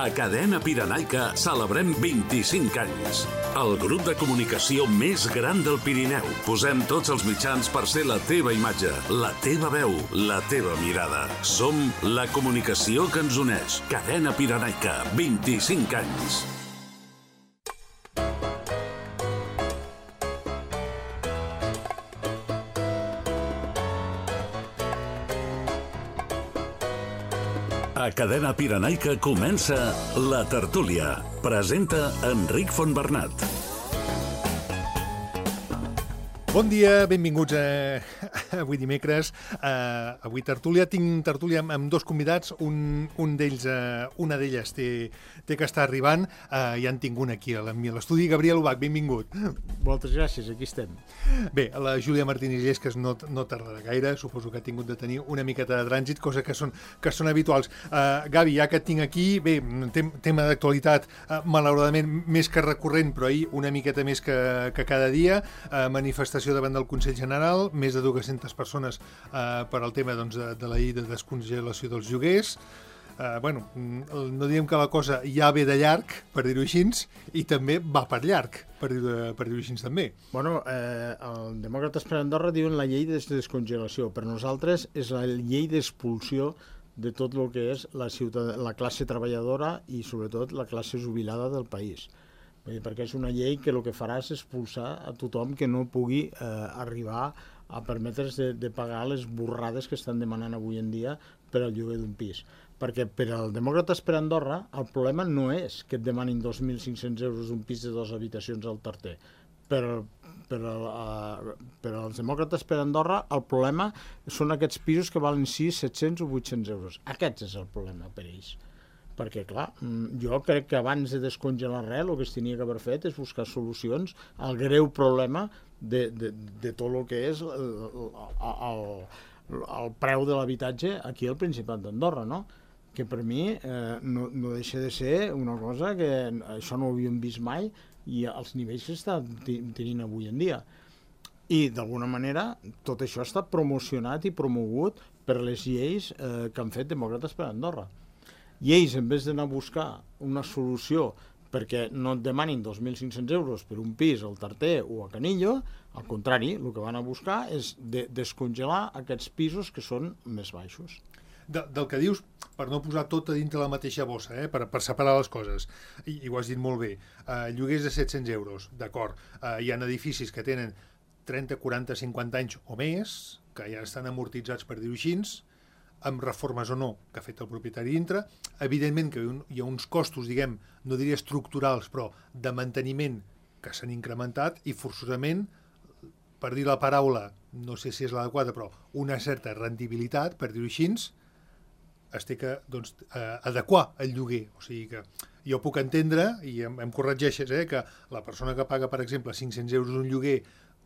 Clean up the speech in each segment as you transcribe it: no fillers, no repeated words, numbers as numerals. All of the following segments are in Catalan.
A Cadena Pirenaica celebrem 25 anys. El grup de comunicació més gran del Pirineu. Posem tots els mitjans per ser la teva imatge, la teva veu, la teva mirada. Som la comunicació que ens uneix. Cadena Pirenaica, 25 anys. A Cadena Pirenaica comença La Tertúlia. Presenta Enric Fontbernat. Bon dia, benvinguts avui dimecres. Avui tertúlia. Tinc tertúlia amb dos convidats. Un d'ells, una d'elles té que estar arribant. Ja en tinc un aquí a l'estudi. Gabriel Ubach, benvingut. Moltes gràcies, aquí estem. Bé, la Júlia Martínez Llesques no tardarà gaire. Suposo que ha tingut de tenir una miqueta de trànsit, cosa que són habituals. Gavi, ja que et tinc aquí, bé, tema d'actualitat, malauradament més que recurrent, però ahir una miqueta més que cada dia. Manifestació davant del Consell General, més de 200 persones per al tema de la llei de descongelació dels lloguers. No diem que la cosa ja ve de llarg, per dir-ho així, i també va per llarg, per dir-ho així també. El Demòcrates per Andorra diuen la llei de descongelació, per nosaltres és la llei d'expulsió de tot el que és la classe treballadora i sobretot la classe jubilada del país. Perquè és una llei que el que farà és expulsar a tothom que no pugui arribar a permetre's de pagar les borrades que estan demanant avui en dia per al lloguer d'un pis. Perquè per al Demòcrates per Andorra el problema no és que et demanin 2.500 euros un pis de 2 habitacions al Tarter. Per als Demòcrates per Andorra el problema són aquests pisos que valen 6, 700 o 800 euros. Aquest és el problema per ells. Perquè, clar, jo crec que abans de descongelar res, el que es tenia que haver fet és buscar solucions al greu problema de tot el que és el preu de l'habitatge aquí al Principat d'Andorra, no? Que per mi no deixa de ser una cosa que això no ho havíem vist mai i els nivells que està tenint avui en dia. I, d'alguna manera, tot això està promocionat i promogut per les lleis que han fet Demòcrates per Andorra. I ells, en vez d'anar a buscar una solució perquè no et demanin 2.500 euros per un pis al Tarter o a Canillo, al contrari, el que van a buscar és descongelar aquests pisos que són més baixos. Del que dius, per no posar tot a dintre la mateixa bossa, per separar les coses, i ho has dit molt bé, lloguers de 700 euros, d'acord, hi ha edificis que tenen 30, 40, 50 anys o més, que ja estan amortitzats, per dir-ho així, amb reformes o no, que ha fet el propietari dintre. Evidentment que hi ha uns costos, diguem, no diria estructurals, però de manteniment que s'han incrementat i forçosament, per dir la paraula, no sé si és l'adequada, però una certa rendibilitat, per dir-ho així, es té que adequar el lloguer. O sigui que jo puc entendre, i em corregeixes, que la persona que paga, per exemple, 500 euros un lloguer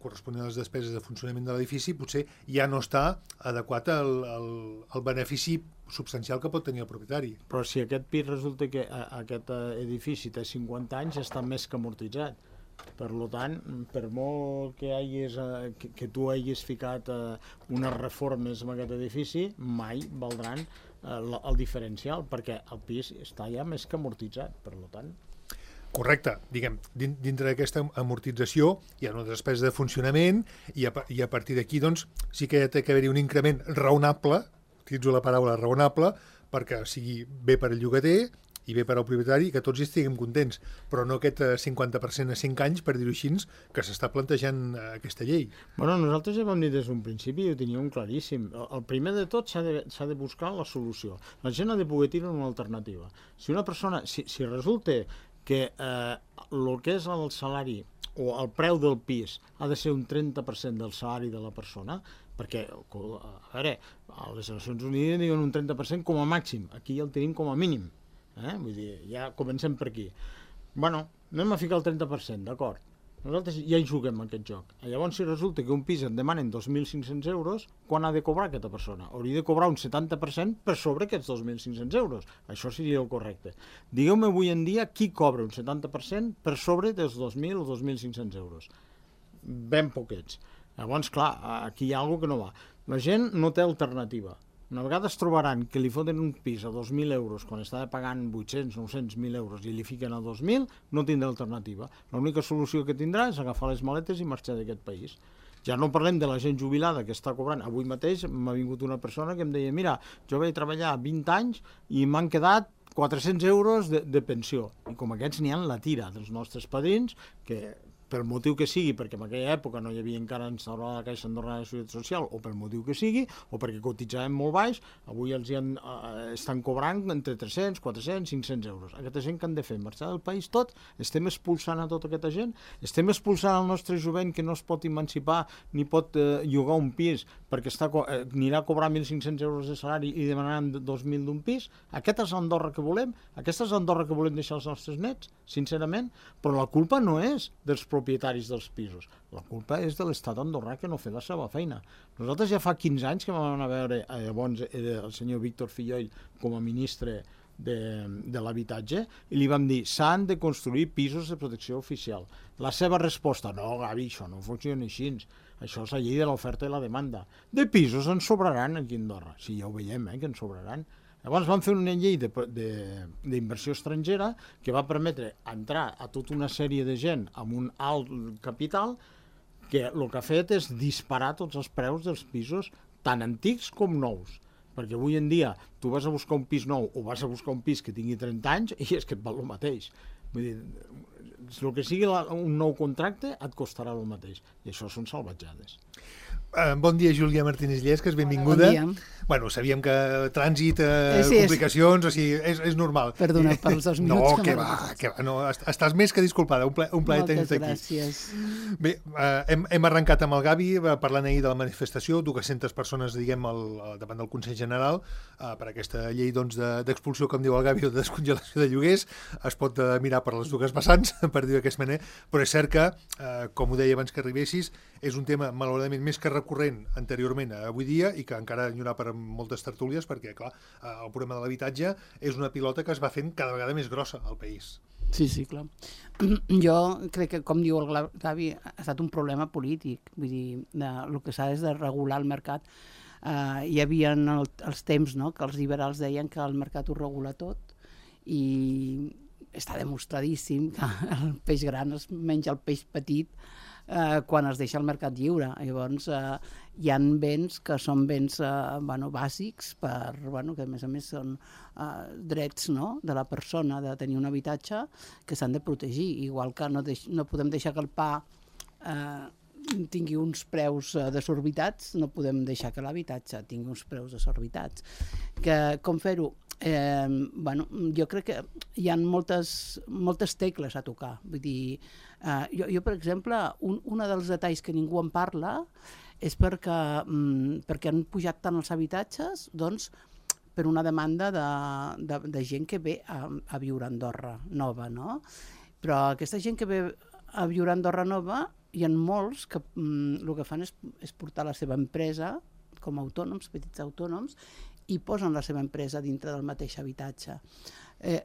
corresponent a les despeses de funcionament de l'edifici, potser ja no està adequat al benefici substancial que pot tenir el propietari. Però si aquest pis resulta que aquest edifici té 50 anys, està més que amortitzat. Per tant, per molt que tu hagis ficat unes reformes en aquest edifici, mai valdran el diferencial, perquè el pis està ja més que amortitzat, per tant. Correcte, diguem, dintre d'aquesta amortització hi ha una despesa de funcionament i a partir d'aquí doncs sí que ha d'haver-hi un increment raonable, utilitzo la paraula raonable, perquè sigui bé per al llogater i bé per al propietari, que tots hi estiguem contents, però no aquest 50% a 5 anys, per dir-ho així, que s'està plantejant aquesta llei. Nosaltres ja vam dir des d'un principi i ho teníem claríssim. El primer de tot s'ha de buscar la solució. La gent ha de poder tenir una alternativa. Si una persona, si resulta que el que és el salari o el preu del pis ha de ser un 30% del salari de la persona, perquè, a veure, a les Nacions Unides diuen un 30% com a màxim, aquí el tenim com a mínim, vull dir, ja comencem per aquí. Anem a ficar el 30%, d'acord. Nosaltres ja hi juguem aquest joc. Llavors, si resulta que un pis et demanen 2.500 euros, quan ha de cobrar aquesta persona? Hauria de cobrar un 70% per sobre aquests 2.500 euros. Això seria el correcte. Digueu-me avui en dia qui cobra un 70% per sobre dels 2.000 o 2.500 euros. Ben poquets. Llavors, clar, aquí hi ha alguna cosa que no va. La gent no té alternativa. Una vegada es trobaran que li foten un pis a 2.000 euros quan estava pagant 800, 900, 1.000 euros i li fiquen a 2.000, no tindrà alternativa. L'única solució que tindrà és agafar les maletes i marxar d'aquest país. Ja no parlem de la gent jubilada que està cobrant. Avui mateix m'ha vingut una persona que em deia mira, jo vaig treballar 20 anys i m'han quedat 400 euros de pensió. I com aquests n'hi ha la tira dels nostres padrins que pel motiu que sigui, perquè en aquella època no hi havia encara instaurada la Caixa Andorrana de Seguretat Social, o pel motiu que sigui, o perquè cotitzaven molt baix, avui els estan cobrant entre 300, 400, 500 euros. Aquesta gent que han de fer? Marxar del país tot? Estem expulsant a tota aquesta gent? Estem expulsant el nostre jovent que no es pot emancipar ni pot llogar un pis perquè anirà a cobrar 1.500 euros de salari i demanaran 2.000 d'un pis? Aquesta és l'Andorra que volem? Aquesta és l'Andorra que volem deixar als nostres nets? Sincerament? Però la culpa no és dels propietaris dels pisos. La culpa és de l'estat andorrà que no fa la seva feina. Nosaltres ja fa 15 anys que vam anar a veure llavors el senyor Víctor Filloll com a ministre de l'habitatge i li vam dir s'han de construir pisos de protecció oficial. La seva resposta, no Gavi, això no funciona així, això és la llei de l'oferta i la demanda. De pisos en sobraran aquí a Andorra, sí, ja ho veiem, que en sobraran. Llavors van fer una llei d'inversió estrangera que va permetre entrar a tota una sèrie de gent amb un alt capital que el que ha fet és disparar tots els preus dels pisos tan antics com nous. Perquè avui en dia tu vas a buscar un pis nou o vas a buscar un pis que tingui 30 anys i és que et val el mateix. Vull dir, el que sigui un nou contracte et costarà el mateix. I això són salvatjades. Bon dia, Júlia Martínez Llesques, benvinguda. Bon dia. Bueno, sabíem que trànsit, complicacions, o sigui, és normal. Perdona pels 2 minuts. No, que va, no, estàs més que disculpada, un plaer tenir-te aquí. Moltes gràcies. Bé, hem arrencat amb el Gavi parlant ahir de la manifestació, 200 persones, diguem, davant del Consell General per aquesta llei d'expulsió, com diu el Gavi, o de descongelació de lloguers. Es pot mirar per les dues vessants, per dir-ho d'aquesta manera, però és cert que, com ho deia abans que arribessis, és un tema, malauradament, més que recurrent anteriorment a avui dia i que encara hi haurà per moltes tertúlies perquè, clar, el problema de l'habitatge és una pilota que es va fent cada vegada més grossa al país. Sí, clar. Jo crec que, com diu el Gavi, ha estat un problema polític. Vull dir, el que s'ha és de regular el mercat. Hi havia els temps, no?, que els liberals deien que el mercat ho regula tot i està demostradíssim que el peix gran es menja el peix petit quan es deixa el mercat lliure. Llavors, hi ha béns que són béns bàsics, que a més són drets, no?, de la persona de tenir un habitatge que s'han de protegir, igual que no podem deixar que el pa tingui uns preus desorbitats, no podem deixar que l'habitatge tingui uns preus desorbitats. Com fer-ho? Jo crec que hi ha moltes tecles a tocar. Vull dir, jo per exemple, un dels detalls que ningú en parla és perquè han pujat tant els habitatges, doncs, per una demanda de gent que ve a viure a Andorra Nova, no? Però aquesta gent que ve a viure a Andorra Nova, hi ha molts que el que fan és portar la seva empresa com a autònoms, petits autònoms, i posen la seva empresa dintre del mateix habitatge.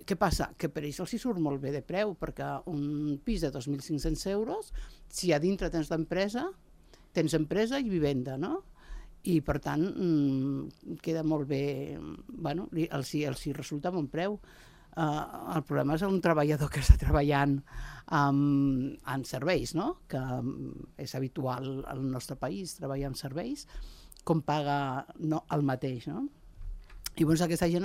Què passa? Que per ells els hi surt molt bé de preu, perquè un pis de 2.500 euros, si a dintre tens l'empresa, tens empresa i vivenda, no? I per tant queda molt bé, els hi resulta bon preu. El problema és un treballador que està treballant en serveis, no?, que és habitual al nostre país treballar en serveis, com paga el mateix, no? I llavors aquesta gent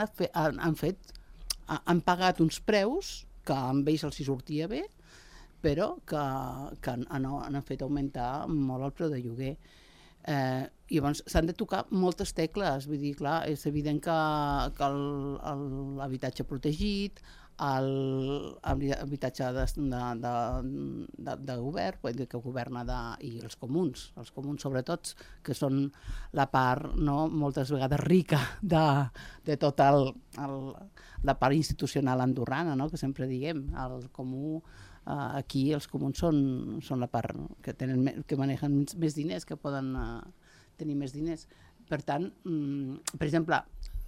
han pagat uns preus que amb ells els hi sortia bé, però que han fet augmentar molt el preu de lloguer. I llavors s'han de tocar moltes tecles, vull dir, clar, és evident que l'habitatge protegit, l'habitatge de govern, que governa, i els comuns sobretot, que són la part, no, moltes vegades rica de tota la part institucional andorrana, no?, que sempre diguem, el comú. Aquí els comuns són la part que manegen més diners, que poden tenir més diners. Per tant, per exemple,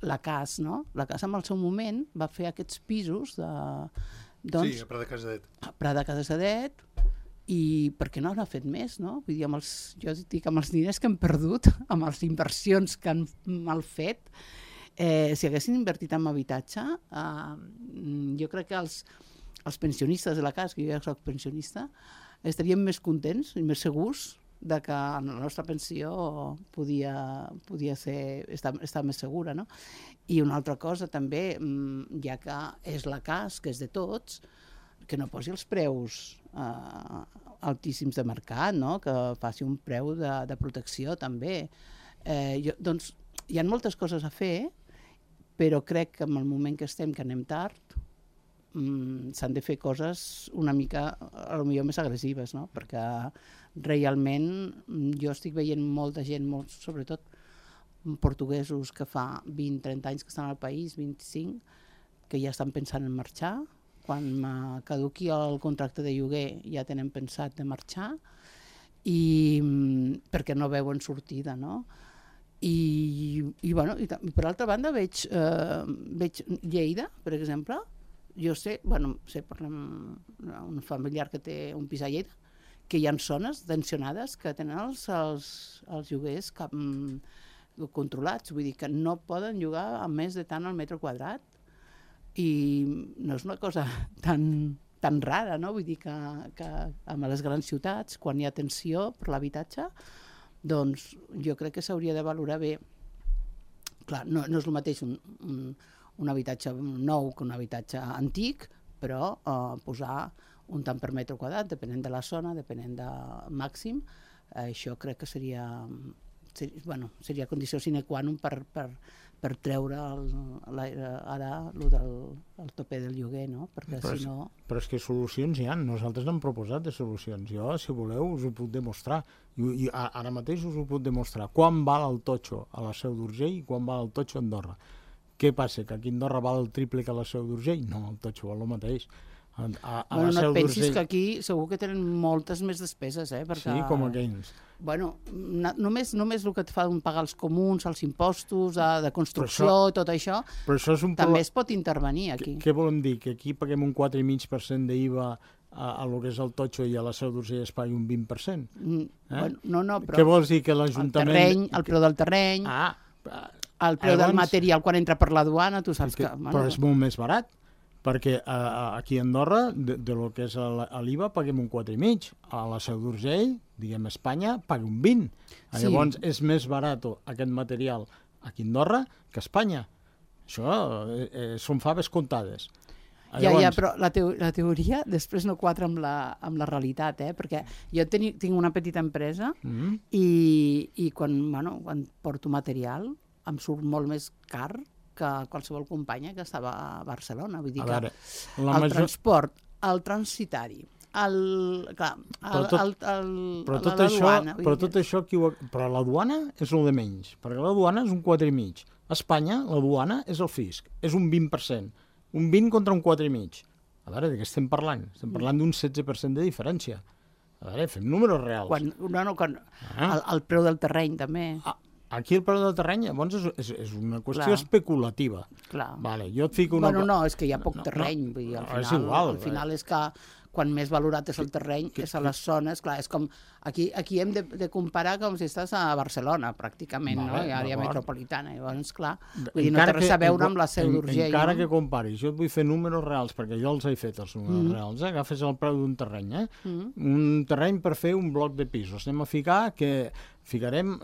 la CAS, no? La CAS en el seu moment va fer aquests pisos sí, a Prat de Casadet. A Prat de Casadet, i per què no n'ha fet més, no? Vull dir, jo dic, amb els diners que han perdut, amb les inversions que han mal fet, si haguessin invertit en habitatge, jo crec que els pensionistes de la casa, que jo ja soc pensionista, estaríem més contents i més segurs de que la nostra pensió podia estar més segura, no? I una altra cosa també, ja que és la casa, que és de tots, que no posi els preus altíssims de mercat, no? Que faci un preu de protecció també. Doncs hi ha moltes coses a fer, però crec que en el moment que estem, que anem tard, s'han de fer coses una mica, potser més agressives, no? Perquè realment jo estic veient molta gent, sobretot portuguesos que fa 20-30 anys que estan al país, 25, que ja estan pensant en marxar. Quan caduqui el contracte de lloguer ja tenen pensat de marxar, perquè no veuen sortida, no? I per altra banda veig Lleida, per exemple. Jo sé per un familiar que té un pis a Lleida, que hi ha zones tensionades que tenen els lloguers controlats, vull dir que no poden llogar a més de tant al metre quadrat, i no és una cosa tan rara, no? Vull dir que a les grans ciutats, quan hi ha tensió per l'habitatge, doncs jo crec que s'hauria de valorar bé. Clar, no és el mateix un habitatge nou que un habitatge antic, però posar un tant per metre quadrat, depenent de la zona, depenent del màxim, això crec que seria condició sine qua non per treure ara el tope del lloguer, no? Perquè si no... Però és que solucions hi ha, nosaltres n'hem proposat de solucions. Jo, si voleu, us ho puc demostrar. I ara mateix us ho puc demostrar. Quan val el totxo a la Seu d'Urgell i quan val el totxo a Andorra? Què passa? Que aquí a Andorra val el triple que a la Seu d'Urgell? No, el totxo val el mateix. No et pensis que aquí segur que tenen moltes més despeses, perquè... Sí, com aquells. Només el que et fan pagar els comuns, els impostos de construcció, tot això, també es pot intervenir aquí. Què volem dir? Que aquí paguem un 4,5% d'IVA a lo que és el totxo i a la Seu d'Urgell es pagui un 20%? No, però... Què vols dir? Que l'Ajuntament... El preu del terreny, el preu del material quan entra per la duana, tu saps que... Però és molt més barat. Perquè aquí a Andorra, de lo que és l'IVA, paguem un 4,5. A la Seu d'Urgell, diguem Espanya, paga un 20. Sí. Llavors, és més barat aquest material aquí a Andorra que a Espanya. Això són faves comptades. Ja, però la teoria després no quadra amb la realitat, perquè jo tinc una petita empresa i quan porto material em surt molt més car que qualsevol companya que estava a Barcelona. Vull dir que el transport, el transitari, la duana... Però la duana és el de menys, perquè la duana és un 4,5. A Espanya, la duana és el fisc, és un 20%. Un 20 contra un 4,5. A veure, de què estem parlant? Estem parlant d'un 16% de diferència. A veure, fem números reals. El preu del terreny, també... Aquí el preu del terreny, llavors, és una qüestió especulativa. Clar. Vale, jo et fico una... No, és que hi ha poc terreny. Vull dir, al final és que quan més valorat és el terreny, és a les zones, clar, és com... Aquí hem de comparar com si estàs a Barcelona, pràcticament, no? I àrea metropolitana. Llavors, clar, vull dir, no té res a veure amb la Seu d'Urgell. Encara que comparis, jo et vull fer números reals, perquè jo els he fet, els números reals, agafes el preu d'un terreny, un terreny per fer un bloc de pisos. Anem a ficarem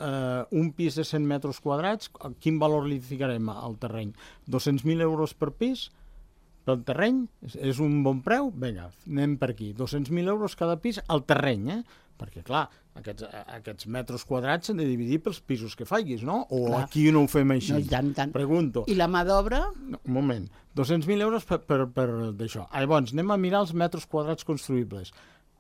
un pis de 100 metres quadrats, quin valor li ficarem al terreny? 200.000 euros per pis? Pel terreny, és un bon preu? Vinga, anem per aquí. 200.000 euros cada pis al terreny, perquè, clar, aquests metres quadrats s'han de dividir pels pisos que facis, no? O clar. Aquí no ho fem així? No, tant. Pregunto. I la mà d'obra? No, un moment. 200.000 euros per d'això. Llavors, anem a mirar els metres quadrats construïbles.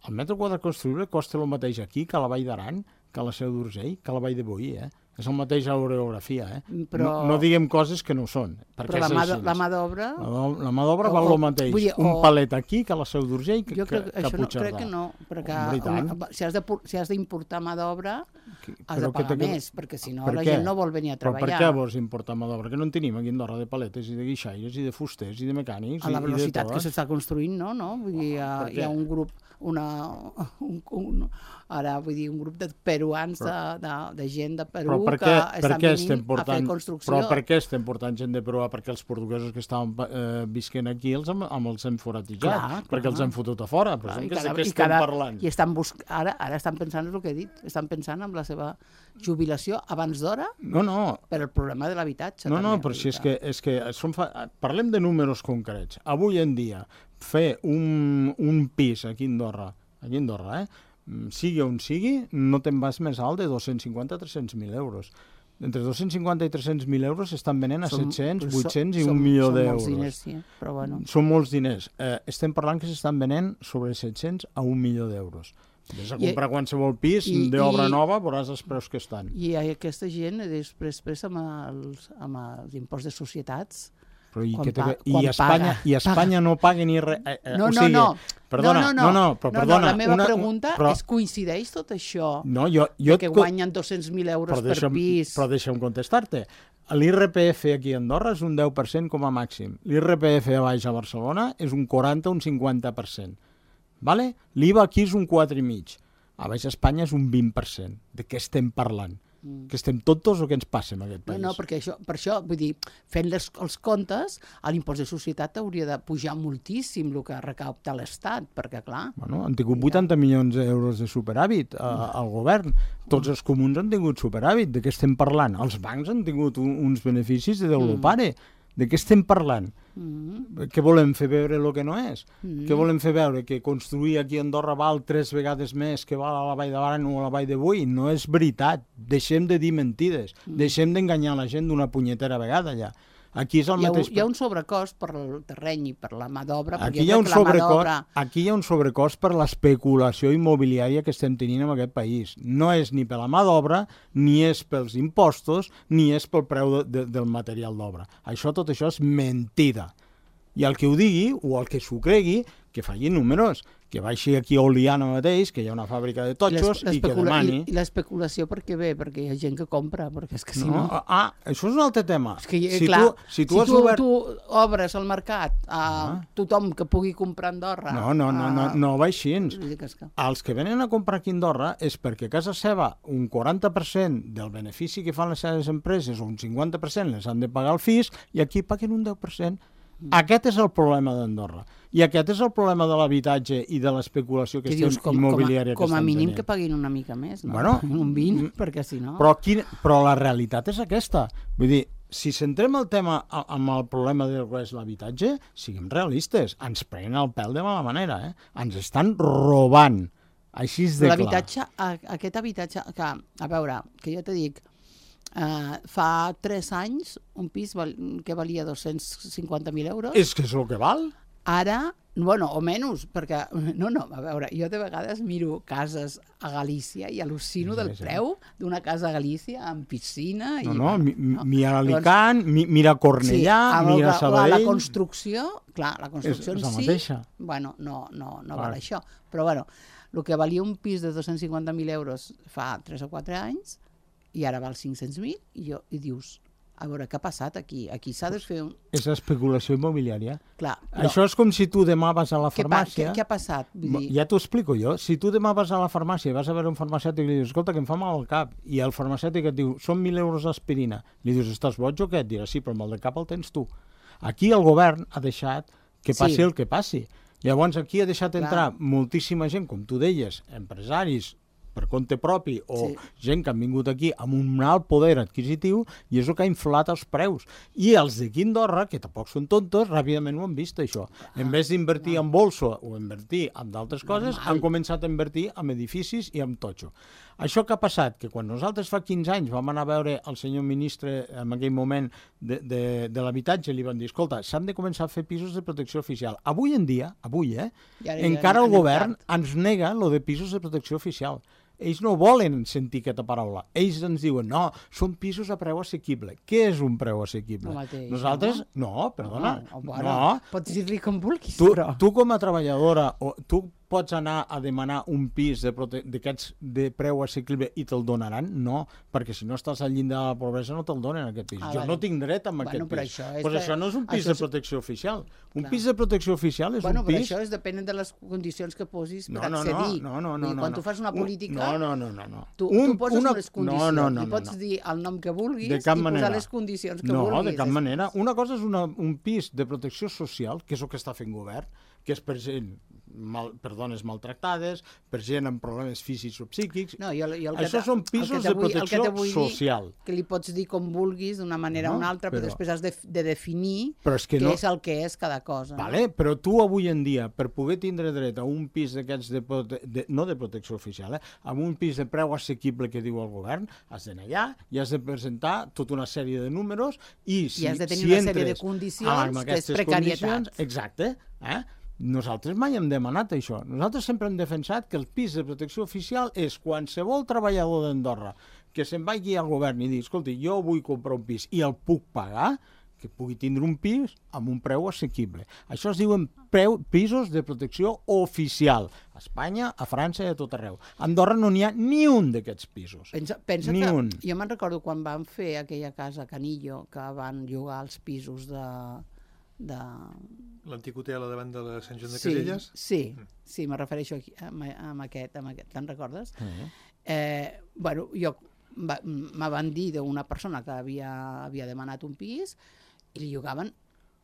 El metre quadrat construïble costa el mateix aquí que a la Vall d'Aran, que a la Seu d'Urgell, que a la Vall de Boí, És el mateix a l'orografia, Però... No diguem coses que no són. Però la mà d'obra... La mà d'obra val el mateix. Un palet aquí que a la Seu d'Urgell que a Puigcerdà. Jo crec que no, perquè si has d'importar mà d'obra, has de pagar més, perquè si no la gent no vol venir a treballar. Però per què vols importar mà d'obra? Que no en tenim aquí a Andorra de paletes i de guixaires i de fusters i de mecànics. A la velocitat que s'està construint, no? Vull dir, hi ha un grup, un grup de peruans, de gent de Perú que estan venint a fer construcció. Però per què estem portant gent de Perú? Perquè els portuguesos que estaven visquent aquí els hem foratejat, perquè els hem fotut a fora. Però què estem parlant? I ara estan pensant en el que he dit, estan pensant en la seva jubilació abans d'hora per el problema de l'habitatge. No, però si és que parlem de números concrets. Avui en dia, fer un pis aquí a Andorra, sigui on sigui, no te'n vas més alt de 250 a 300.000 euros. Entre 250 i 300.000 euros s'estan venent a 700, 800 i 1 milió d'euros. Són molts diners, sí, però bueno. Són molts diners. Estem parlant que s'estan venent sobre 700 a 1 milió d'euros. Vés a comprar qualsevol pis d'obra nova, veuràs els preus que estan. I aquesta gent, després amb els imposts de societats, I Espanya no paga ni res. No. Perdona. La meva pregunta és, coincideix tot això? Que guanyen 200.000 euros per pis? Però deixa'm contestar-te. L'IRPF aquí a Andorra és un 10% com a màxim. L'IRPF a baix a Barcelona és un 40 o un 50%. L'IVA aquí és un 4,5%. A baix a Espanya és un 20%. De què estem parlant? Que estem tontos o què ens passa en aquest país? No, perquè per això, vull dir, fent els comptes, l'impost de societat hauria de pujar moltíssim el que recapta l'Estat, perquè clar... Han tingut 80 milions d'euros de superàvit al govern. Tots els comuns han tingut superàvit. De què estem parlant? Els bancs han tingut uns beneficis de Déu lo pare. De què estem parlant? Què volem fer veure el que no és? Què volem fer veure? Que construir aquí a Andorra val 3 vegades més que val a la Vall de Baran o a la Vall de Boí? No és veritat. Deixem de dir mentides. Deixem d'enganyar la gent d'una punyetera vegada allà. Aquí és el mateix... Hi ha un sobrecost per el terreny i per la mà d'obra. Aquí hi ha un sobrecost per l'especulació immobiliària que estem tenint en aquest país. No és ni per la mà d'obra, ni és pels impostos, ni és pel preu del material d'obra. Tot això és mentida. I el que ho digui, o el que s'ho cregui, que faci números, que baixi aquí a Oliana mateix, que hi ha una fàbrica de totxos, i que demani... I l'especulació per què ve? Perquè hi ha gent que compra, perquè és que si no... Això és un altre tema. És que, clar, si tu obres el mercat a tothom que pugui comprar a Andorra... No va així. Els que venen a comprar aquí a Andorra és perquè a casa seva un 40% del benefici que fan les seves empreses o un 50% les han de pagar el fisc i aquí paguen un 10%. Aquest és el problema d'Andorra. I aquest és el problema de l'habitatge i de l'especulació immobiliària que estem tenint. Com a mínim que paguin una mica més, no? Un 20, perquè si no... Però la realitat és aquesta. Vull dir, si centrem el tema amb el problema del que és l'habitatge, siguem realistes. Ens prenen el pèl de mala manera, Ens estan robant. Així és de clar. Aquest habitatge, que, a veure, que jo te dic, fa 3 anys un pis que valia 250.000 euros. És que és el que val? Ara, bueno, o menys, perquè, a veure, jo de vegades miro cases a Galícia i al·lucino del preu d'una casa a Galícia amb piscina. Mira Alicant, mira Cornellà, mira Sabadell... La construcció, clar, la construcció en si, bueno, no val això. Però, bueno, el que valia un pis de 250.000 euros fa 3 o 4 anys, i ara val 500.000, i dius, a veure, què ha passat aquí? Aquí s'ha de fer un... És especulació immobiliària. Clar. Això és com si tu demà vas a la farmàcia... Què ha passat? Ja t'ho explico jo. Si tu demà vas a la farmàcia i vas a veure un farmacèutic i li dius, escolta, que em fa mal al cap, i el farmacèutic et diu, són 1.000 euros d'aspirina, li dius, estàs boig o què? Et dirà, sí, però el mal de cap el tens tu. Aquí el govern ha deixat que passi el que passi. Llavors aquí ha deixat entrar moltíssima gent, com tu deies, empresaris, per compte propi, o gent que han vingut aquí amb un alt poder adquisitiu, i és el que ha inflat els preus. I els d'aquí a Andorra, que tampoc són tontos, ràpidament ho han vist, això. En vez d'invertir en bolsa o invertir en d'altres coses, han començat a invertir en edificis i en totxo. Això que ha passat, que quan nosaltres fa 15 anys vam anar a veure el senyor ministre en aquell moment de l'habitatge, li van dir, escolta, s'han de començar a fer pisos de protecció oficial. Avui en dia, encara el govern ens nega lo de pisos de protecció oficial. Ells no volen sentir aquesta paraula. Ells ens diuen, no, són pisos a preu assequible. Què és un preu assequible? Nosaltres, no, perdona. Pots dir-li com vulguis, però... Tu com a treballadora, tu pots anar a demanar un pis d'aquests de preu assequible i te'l donaran? No, perquè si no estàs al llindar de la pobresa no te'l donen aquest pis. Jo no tinc dret a aquest pis. Però això no és un pis de protecció oficial. Un pis de protecció oficial és un pis... Bueno, però això depèn de les condicions que posis per accedir. No. Quan tu fas una política... No. Tu poses unes condicions. I pots dir el nom que vulguis i posar les condicions que vulguis. No, de cap manera. Una cosa és un pis de protecció social, que és el que està fent govern, que és per gent, per dones maltractades, per gent amb problemes físics o psíquics. Això són pisos de protecció social. Que li pots dir com vulguis, d'una manera o una altra, però després has de definir què és el que és cada cosa. Vale, però tu avui en dia, per poder tindre dret a un pis d'aquests, no de protecció oficial, amb un pis de preu assequible que diu el govern, has d'anar allà i has de presentar tota una sèrie de números i has de tenir una sèrie de condicions que és precarietat. Exacte, Nosaltres mai hem demanat això. Nosaltres sempre hem defensat que el pis de protecció oficial és qualsevol treballador d'Andorra que se'n vagi al govern i digui, escolta, jo vull comprar un pis i el puc pagar, que pugui tindre un pis amb un preu assequible. Això es diuen pisos de protecció oficial. A Espanya, a França i a tot arreu. A Andorra no n'hi ha ni un d'aquests pisos. Pensa que jo me'n recordo quan van fer aquella casa a Canillo, que van llogar els pisos de l'antic hotel davant de la Sant Joan de Caselles? Sí, me refereixo aquí, amb aquest, te'n recordes? Bueno, me van dir d'una persona que havia demanat un pis i li llogaven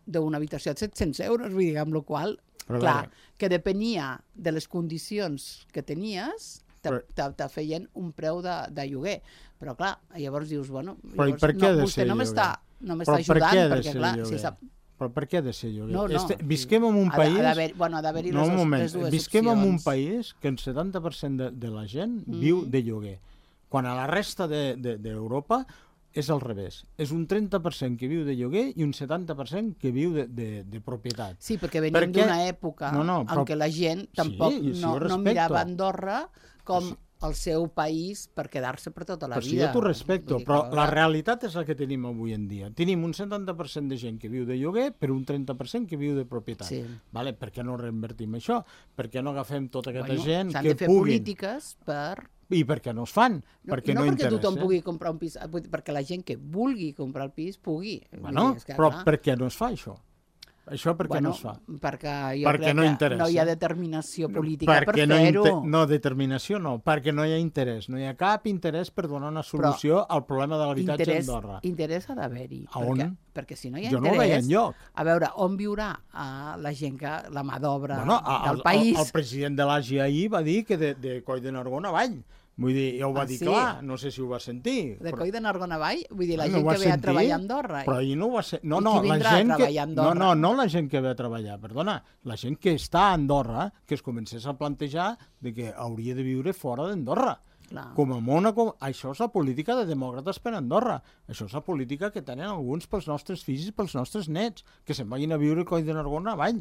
d'una habitació a 700 euros, vull dir, amb la qual cosa, clar, que depenia de les condicions que tenies, te feien un preu de lloguer. Però clar, llavors dius, bueno, vostè no m'està ajudant, perquè clar, si sap... Però per què ha de ser lloguer? Visquem en un país... Ha d'haver-hi les dues opcions. Visquem en un país que el 70% de la gent viu de lloguer. Quan a la resta d'Europa és al revés. És un 30% que viu de lloguer i un 70% que viu de propietat. Sí, perquè venim d'una època en què la gent tampoc no mirava Andorra com el seu país per quedar-se per tota la vida. Però sí, jo t'ho respecto, però la realitat és la que tenim avui en dia. Tenim un 70% de gent que viu de lloguer per un 30% que viu de propietat. Vale? Per què no reinvertim això? Per què no agafem tota aquesta gent que puguin... S'han de fer polítiques per... I per què no es fan? Perquè no interessa. Perquè tothom pugui comprar un pis, perquè la gent que vulgui comprar el pis pugui. Bueno, però per què no es fa això? Això per què no es fa? Perquè jo crec que no hi ha determinació política per fer-ho. No, determinació no, perquè no hi ha interès. No hi ha cap interès per donar una solució al problema de l'habitatge a Andorra. Interès ha d'haver-hi. A on? Perquè si no hi ha interès... Jo no ho veia enlloc. A veure, on viurà la gent, la mà d'obra del país? El president de l'AGI ahir va dir que de Coll de Nargó avall. Vull dir, ja ho va dir clar, no sé si ho va sentir. De Coll de Nargó avall? Vull dir, la gent que ve a treballar a Andorra. Però ahir no ho va ser... No, la gent que... No la gent que ve a treballar, perdona. La gent que està a Andorra, que es comencés a plantejar de que hauria de viure fora d'Andorra. Com a Mònaco, això és la política de demòcrates per Andorra. Això és la política que tenen alguns pels nostres fills i pels nostres nets, que se'n vagin a viure a Coll de Nargó avall.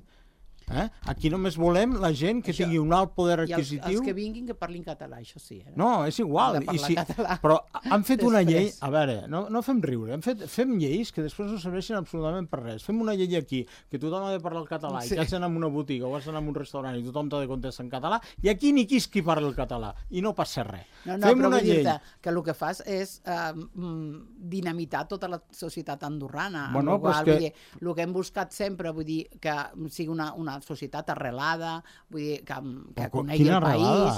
Aquí només volem la gent que tingui un alt poder adquisitiu. I els que vinguin que parlin català, això sí. No, és igual. Però han fet una llei... A veure, no fem riure. Fem lleis que després no serveixen absolutament per res. Fem una llei aquí, que tothom ha de parlar el català, i que has d'anar a una botiga o has d'anar a un restaurant i tothom t'ha de contestar en català, i aquí ni qui parla el català, i no passa res. No, però vull dir-te que el que fas és dinamitar tota la societat andorrana. El que hem buscat sempre, vull dir, que sigui una societat arrelada, vull dir, que conegui el país.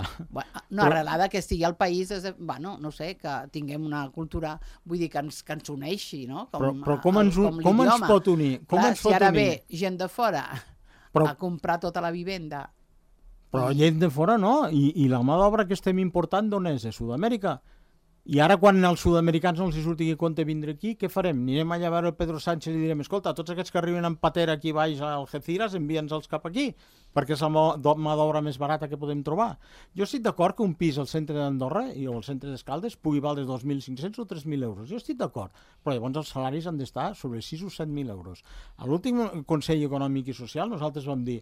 No, arrelada, que estigui al país, no sé, que tinguem una cultura, vull dir, que ens uneixi, no? Però com ens pot unir? Si ara ve gent de fora a comprar tota la vivenda... Però gent de fora no, i la mà d'obra que estem important d'on és? De Sud-amèrica? I ara quan als sud-americans no els surti que compte vindre aquí, què farem? Anirem allà a veure el Pedro Sánchez i direm, escolta, tots aquests que arriben en patera aquí baix al Algeciras, envia'ns-els cap aquí, perquè és la mà d'obra més barata que podem trobar. Jo estic d'acord que un pis al centre d'Andorra i al centre d'Escaldes pugui valdre 2.500 o 3.000 euros. Jo estic d'acord, però llavors els salaris han d'estar sobre 6 o 7.000 euros. A l'últim Consell Econòmic i Social nosaltres vam dir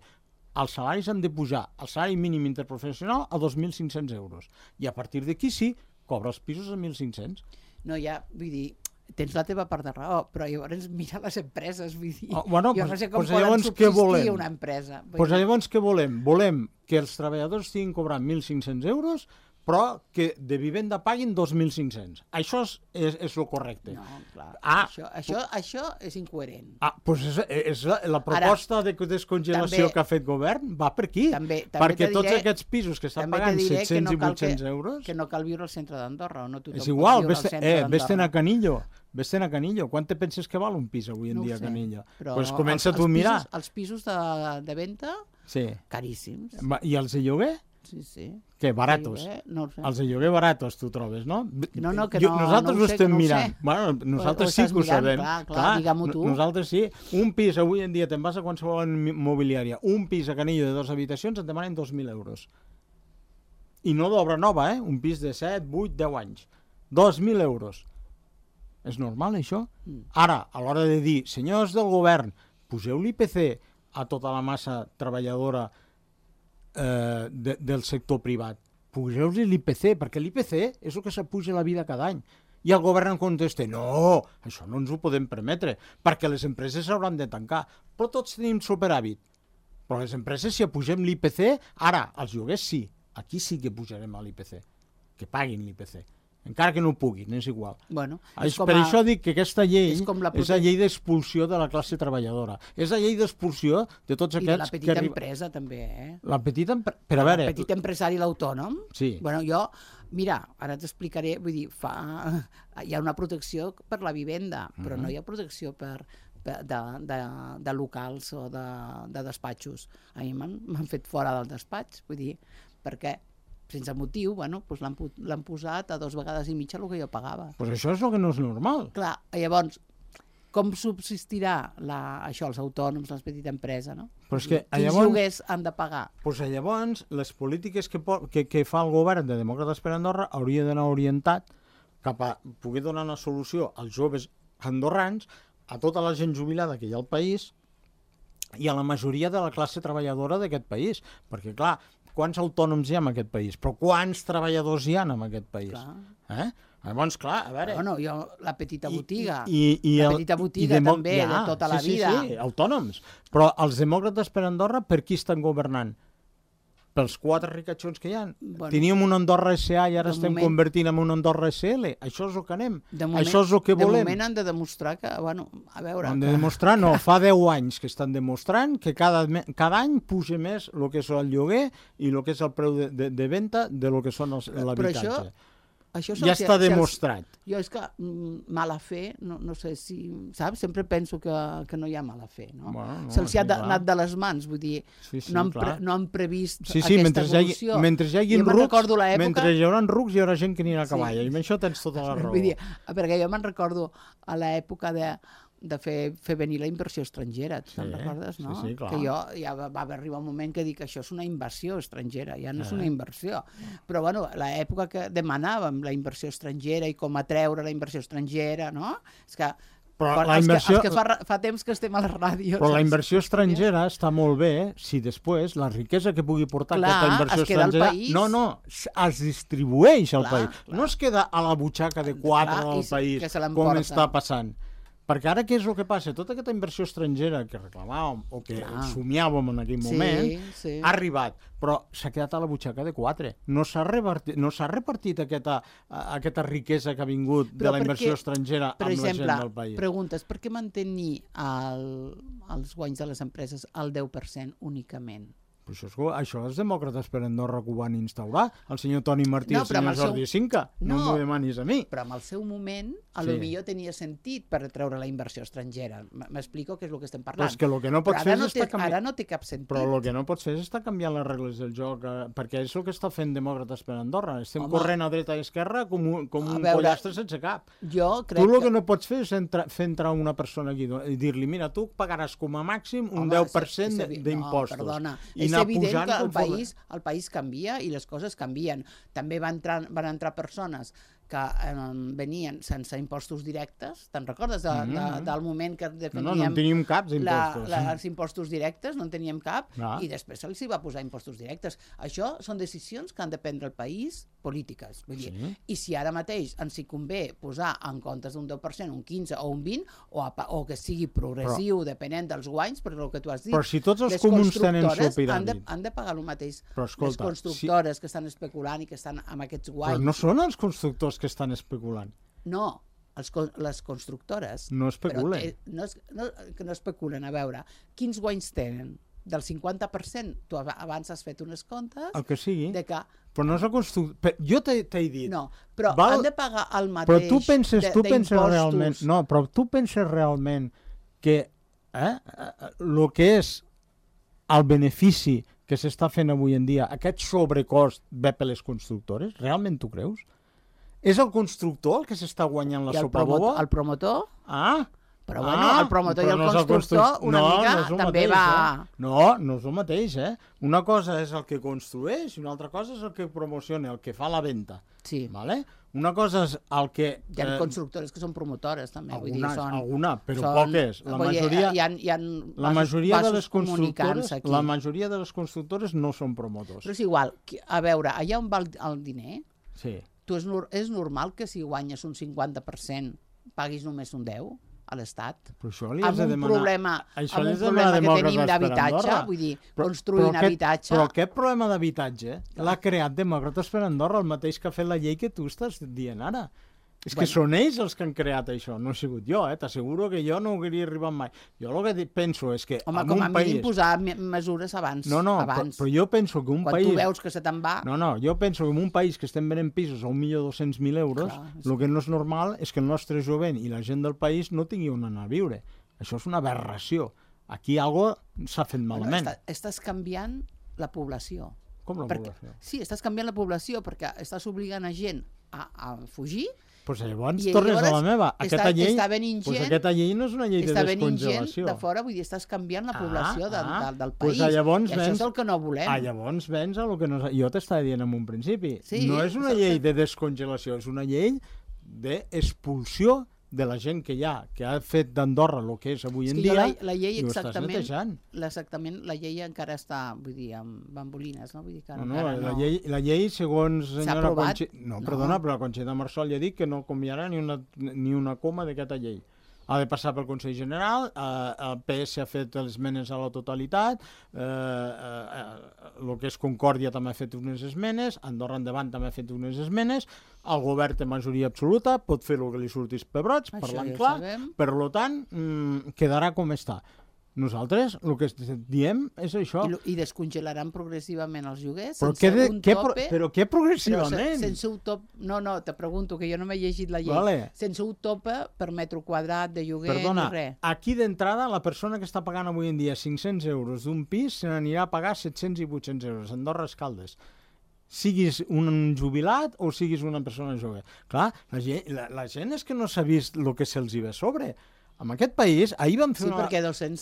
els salaris han de pujar el salari mínim interprofessional a 2.500 euros. I a partir d'aquí sí, cobra els pisos a 1.500. No, ja, vull dir, tens la teva part de raó, però llavors mira les empreses, vull dir, jo no sé com pues poden llavors subsistir una empresa. Doncs llavors què volem? Volem que els treballadors estiguin cobrant 1.500 euros, però que de vivenda paguin 2.500. Això és el correcte. No, clar, això és incoherent. Doncs és la proposta de descongelació que ha fet govern va per aquí. Perquè tots aquests pisos que estan pagant 700 i 800 euros... Que no cal viure al centre d'Andorra. És igual, vés-te'n a Canillo. Vés-te'n a Canillo. Quant te penses que val un pis avui en dia a Canillo? Doncs comença tu a mirar. Els pisos de venda, caríssims. I els de lloguer? Sí. Que baratos. No sé. Els de lloguer baratos, tu trobes, no? Nosaltres ho estem mirant. Bueno, nosaltres sí que ho sabem. Clar, digue-m'ho tu. Nosaltres sí. Un pis, avui en dia, te'n vas a qualsevol mobiliària, un pis a Canillo de 2 habitacions et demanen 2.000 euros. I no d'obra nova, un pis de 7, 8, 10 anys. 2.000 euros. És normal, això? Ara, a l'hora de dir, senyors del govern, poseu l'IPC a tota la massa treballadora del sector privat. Pugeu-li l'IPC, perquè l'IPC és el que s'apuja la vida cada any. I el govern en contesta, no, això no ens ho podem permetre, perquè les empreses s'hauran de tancar. Però tots tenim superàvit. Però les empreses, si apugem l'IPC, ara, els lloguers sí, aquí sí que pujarem a l'IPC, que paguin l'IPC. Encara que no puguin, és igual. Per això dic que aquesta llei és la llei d'expulsió de la classe treballadora. És la llei d'expulsió de tots aquests... I de la petita empresa, també, La petita empresa... Però a veure... El petit empresari, l'autònom. Sí. Jo, mira, ara t'explicaré, vull dir, hi ha una protecció per la vivenda, però no hi ha protecció de locals o de despatxos. A mi m'han fet fora del despatx, vull dir, perquè... sense motiu, doncs l'han posat a 2 vegades i mitja el que jo pagava. Doncs això és el que no és normal. Clar, llavors, com subsistirà això, els autònoms, les petites empreses, no? Però és que, quins lloguers han de pagar? Doncs llavors, les polítiques que fa el govern de Demòcrates per Andorra hauria d'anar orientat cap a poder donar una solució als joves andorrans, a tota la gent jubilada que hi ha al país i a la majoria de la classe treballadora d'aquest país. Perquè, clar, quants autònoms hi ha en aquest país? Però quants treballadors hi ha en aquest país? Llavors, clar, a veure... La petita botiga. La petita botiga també, de tota la vida. Sí, autònoms. Però els demòcrates per Andorra, per qui estan governant? Pels 4 ricachons que hi ha. Teníem una Andorra SA i ara estem convertint en una Andorra SL. Això és el que anem. Això és el que volem. De moment han de demostrar que, a veure... Han de demostrar, no, fa 10 anys que estan demostrant que cada any puja més el que és el lloguer i el que és el preu de venda de lo que són l'habitatge. Ja està demostrat. Jo és que mala fe, no sé si... Saps? Sempre penso que no hi ha mala fe, no? Se'ls ha anat de les mans, vull dir, no han previst aquesta evolució. Mentre hi hagi rucs, hi haurà gent que anirà a cavall, i amb això tens tota la raó. Perquè jo me'n recordo a l'època de fer venir la inversió estrangera, te'n recordes, no? Sí, clar. Que jo ja va arribar un moment que dic que això és una inversió estrangera, ja no és una inversió. Però, l'època que demanàvem la inversió estrangera i com atreure la inversió estrangera, no? És que els que fa temps que estem a la ràdio... Però la inversió estrangera està molt bé si després la riquesa que pugui portar aquesta inversió estrangera... No, es distribueix al país. No es queda a la butxaca de 4 del país, com està passant. Perquè ara què és el que passa? Tota aquesta inversió estrangera que reclamàvem o que somiàvem en aquell moment ha arribat, però s'ha quedat a la butxaca de 4. No s'ha repartit aquesta riquesa que ha vingut de la inversió estrangera amb la gent del país. Per exemple, preguntes, per què mantenir els guanys de les empreses al 10% únicament? Això els demòcrates per Andorra que ho van instaurar, el senyor Toni Martí i el senyor Jordi Cinca. No m'ho demanis a mi. Però en el seu moment, potser tenia sentit per treure la inversió estrangera. M'explico què és el que estem parlant. Però és que el que no pots fer és estar canviant... Ara no té cap sentit. Però el que no pots fer és estar canviant les regles del joc, perquè és el que està fent demòcrates per Andorra. Estem corrent a dreta i esquerra com un pollastre sense cap. Tu el que no pots fer és fer entrar una persona aquí i dir-li, mira, tu pagaràs com a màxim un 10% d'impostos. Perdona, és evident que el país canvia i les coses canvien. També van entrar persones que venien sense impostos directes. Te'n recordes del moment que definíem... No en teníem cap d'impostos. Els impostos directes, no en teníem cap, i després se'ls va posar impostos directes. Això són decisions que han de prendre el país, polítiques. Vull dir, i si ara mateix ens hi convé posar en comptes d'un 10%, un 15 o un 20, o que sigui progressiu, depenent dels guanys, perquè el que tu has dit... Però si tots els comuns tenen supiràmit... Han de pagar el mateix. Però escolta, les constructores que estan especulant i que estan amb aquests guanys... Però no són els constructors que estan especulant. No, les constructores... No especulen. No especulen, a veure, quins guanys tenen? Del 50%, tu abans has fet uns comptes... El que sigui, de que... però no és el constructor... Jo t'he dit... No, però han de pagar el mateix però tu penses realment... No, però tu penses realment que el que és el benefici que s'està fent avui en dia, aquest sobrecost ve per les constructores? Realment tu creus? És el constructor el que s'està guanyant la sopa boba? El promotor? Però el promotor i el constructor una mica també va... No és el mateix, Una cosa és el que construeix i una altra cosa és el que promociona, el que fa la venda. Sí. Vale? Una cosa és el que... Hi ha constructores que són promotores, també. Alguna, però poques. La majoria de les constructores no són promotors. Però és igual, a veure, allà on va el diner, sí. És normal que si guanyes un 50% paguis només un 10% a l'Estat? Però això li has de demanar... Amb un problema que tenim d'habitatge, vull dir, construint habitatge... Però aquest problema d'habitatge l'ha creat Demòcrates per Andorra, el mateix que ha fet la llei que tu estàs dient ara. És que són ells els que han creat això, no he sigut jo, t'asseguro que jo no hauria arribat mai. Jo el que penso és que en un país... Home, com a mínim posar mesures abans. No, però jo penso que un país... Quan tu veus que se te'n va... No, jo penso que en un país que estem venent pisos a 1.200.000 euros, el que no és normal és que el nostre jovent i la gent del país no tingui on anar a viure. Això és una aberració. Aquí alguna cosa s'ha fet malament. Estàs canviant la població. Com la població? Sí, estàs canviant la població perquè estàs obligant a gent a fugir. Doncs llavors tornes a la meva. Aquesta llei no és una llei de descongelació. Està venint gent de fora, vull dir, estàs canviant la població del país. I això és el que no volem. Llavors vens a lo que jo t'estava dient en un principi. No és una llei de descongelació, és una llei d'expulsió de la gent que ha fet d'Andorra el que és avui en dia, la llei i ho estàs netejant. Exactament, la llei encara està, vull dir, amb bambolines, no? Vull dir que la llei, segons senyora Conxita... No, perdona, però la Conxita Marsol ja ha dit que no canviarà ni una coma d'aquesta llei. Ha de passar pel Consell General, el PS ha fet les esmenes a la totalitat, el que és Concòrdia també ha fet unes esmenes, Andorra Endavant també ha fet unes esmenes, el govern té majoria absoluta, pot fer el que li surtis pebrots, parlant clar, per tant, quedarà com està. Nosaltres el que diem és això. I descongelaran progressivament els lloguers sense un tope. Però què progressivament? Sense un tope. No, te pregunto, que jo no m'he llegit la llei. Sense un tope per metre quadrat de lloguer ni res. Aquí d'entrada la persona que està pagant avui en dia 500 euros d'un pis se n'anirà a pagar 700 i 800 euros. Andorra Escaldes. Siguis un jubilat o siguis una persona jove. Clar, la gent és que no s'ha vist el que se'ls hi ve a sobre. En aquest país, ahir vam fer una... Sí, perquè 200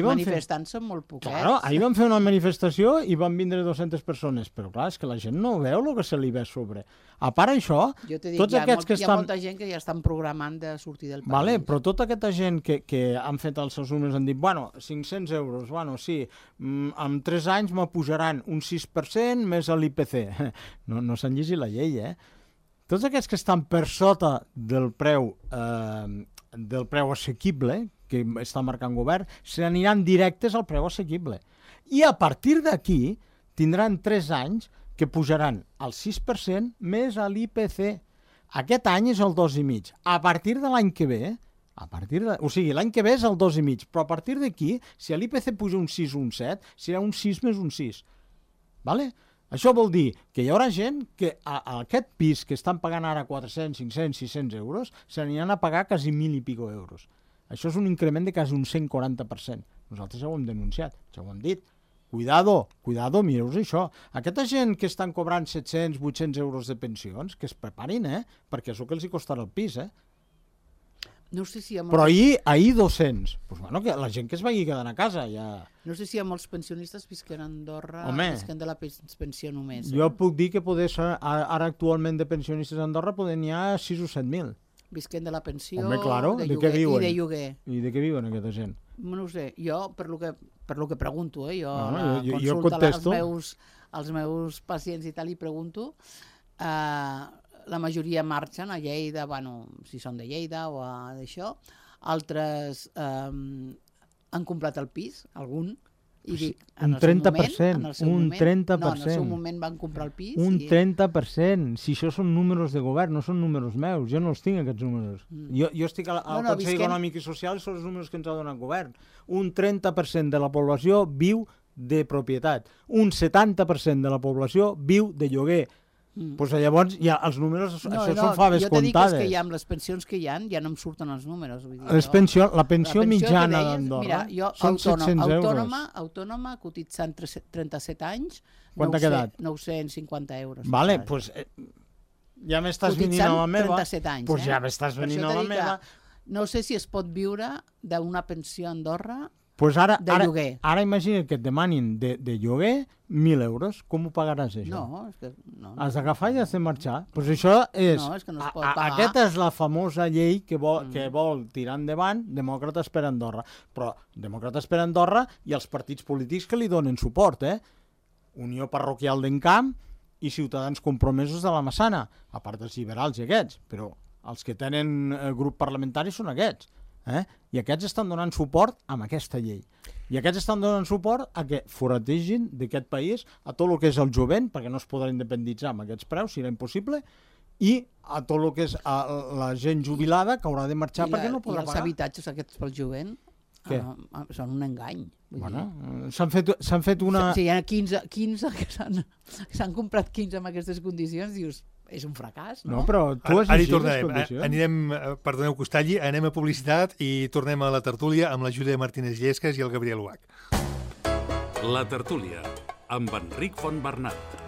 manifestants són molt poquets. Claro, ahir vam fer una manifestació i van vindre 200 persones, però clar, és que la gent no veu el que se li ve a sobre. A part això, tots aquests que estan... Hi ha molta gent que ja estan programant de sortir del país. Vale, però tota aquesta gent que han fet els seus números han dit, 500 euros, sí, en 3 anys m'apujaran un 6% més l'IPC. No s'han llegit la llei, Tots aquests que estan per sota del preu assequible que està marcant govern, se n'aniran directes al preu assequible. I a partir d'aquí tindran 3 anys que pujaran el 6% més a l'IPC. Aquest any és el 2,5%. A partir de l'any que ve, l'any que ve és el 2,5%, però a partir d'aquí, si l'IPC puja un 6 o un 7, serà un 6 més un 6. Vale? Això vol dir que hi haurà gent que a aquest pis que estan pagant ara 400, 500, 600 euros se n'aniran a pagar quasi 1.000 i pico euros. Això és un increment de quasi un 140%. Nosaltres ja ho hem denunciat, ja ho hem dit. Cuidado, mireu-vos això. Aquesta gent que estan cobrant 700, 800 euros de pensions, que es preparin, perquè és el que els hi costarà el pis, No sé si Però ahir 200. Pues bueno, que la gent que es vagi quedant a casa ja... No sé si molts pensionistes visquen a Andorra, visquen de la pensió només. Jo puc dir que ara actualment de pensionistes a Andorra poden n'hi ha 6 o 7.000. Visquen de la pensió, claro, de què viuen? I de lloguer. I de què viuen aquesta gent? No ho sé, jo per lo que pregunto, jo jo consulto als meus pacients i tal, i pregunto, la majoria marxen a Lleida, bueno, si són de Lleida o d'això, altres han comprat el pis, algun, i dic, un 30%, un 30%. No, en el seu moment van comprar el pis. Un 30%. Si això són números de govern, no són números meus. Jo no els tinc, aquests números. Jo estic al Consell Econòmic i Social, són els números que ens ha donat el govern. Un 30% de la població viu de propietat. Un 70% de la població viu de lloguer. Pues llavors, ja, els números, això són faves comptades. Jo t'he dit que és que amb les pensions que hi ha, ja no em surten els números. Vull dir, la pensió mitjana d'Andorra són 700 euros. Autònoma, cotitzant 37 anys, quant ha quedat? 950 euros. Vale, doncs ja m'estàs venint a la meva. 37 anys, doncs ja m'estàs venint a la meva. No sé si es pot viure d'una pensió a Andorra pues de lloguer. Ara imagina't que et demanin de lloguer 1.000 euros. Com ho pagaràs, això? No, és que no. Has d'agafar i has de marxar. Pues això és... No, és que no es pot pagar. Aquesta és la famosa llei que vol tirar endavant Demòcrates per Andorra. Però Demòcrates per Andorra i els partits polítics que li donen suport, Unió Parroquial d'Encamp i Ciutadans Compromesos de la Massana, a part dels liberals i aquests, però els que tenen grup parlamentari són aquests. I aquests estan donant suport amb aquesta llei. I aquests estan donant suport a que forategin d'aquest país a tot el que és el jovent, perquè no es podrà independitzar amb aquests preus, serà impossible, i a tot el que és la gent jubilada que haurà de marxar perquè no podrà pagar. I els habitatges aquests pel jovent són un engany. Bueno, s'han fet una... Si hi ha 15 que s'han comprat 15 amb aquestes condicions, dius... És un fracàs, no? No, però tu has llegit les condicions. Anirem, perdoneu que us talli, anem a publicitat i tornem a la tertúlia amb la Júlia Martínez Llesques i el Gabriel Uach. La tertúlia, amb Enric Fontbernat.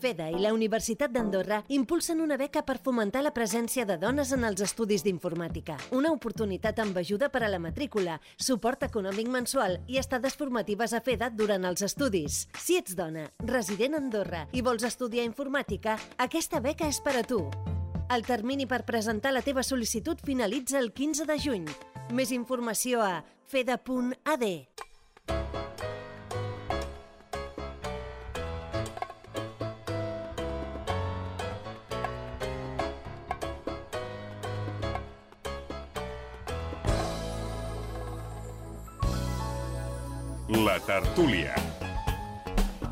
FEDA i la Universitat d'Andorra impulsen una beca per fomentar la presència de dones en els estudis d'informàtica. Una oportunitat amb ajuda per a la matrícula, suport econòmic mensual i estades formatives a FEDA durant els estudis. Si ets dona, resident a Andorra i vols estudiar informàtica, aquesta beca és per a tu. El termini per presentar la teva sol·licitud finalitza el 15 de juny. Més informació a feda.ad. La tertúlia.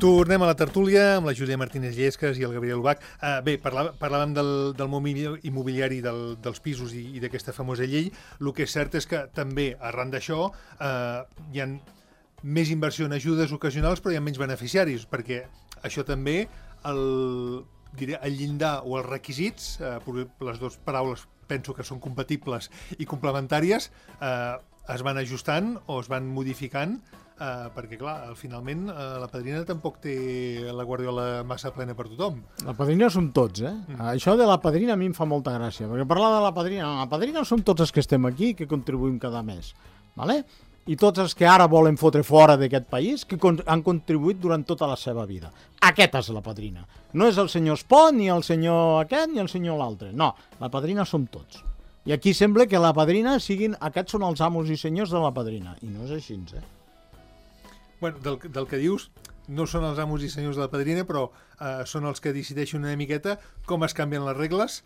Tornem a la tertúlia amb la Júlia Martínez Llesques i el Gabriel Uach. Bé, parlàvem del món immobiliari dels pisos i d'aquesta famosa llei. El que és cert és que també, arran d'això, hi ha més inversió en ajudes ocasionals, però hi ha menys beneficiaris, perquè això també, el llindar o els requisits, les dues paraules penso que són compatibles i complementàries, es van ajustant o es van modificant, perquè, clar, finalment la padrina tampoc té la guardiola massa plena per tothom. La padrina som tots, Això de la padrina a mi em fa molta gràcia, perquè parlar de la padrina som tots els que estem aquí i que contribuïm cada mes, ¿vale? I tots els que ara volen fotre fora d'aquest país, que han contribuït durant tota la seva vida. Aquesta és la padrina. No és el senyor Espot, ni el senyor aquest, ni el senyor l'altre. No, la padrina som tots. I aquí sembla que la padrina aquests són els amos i senyors de la padrina. I no és així, Bueno, del que dius, no són els amos i senyors de la padrina, però són els que decideixen una miqueta com es canvien les regles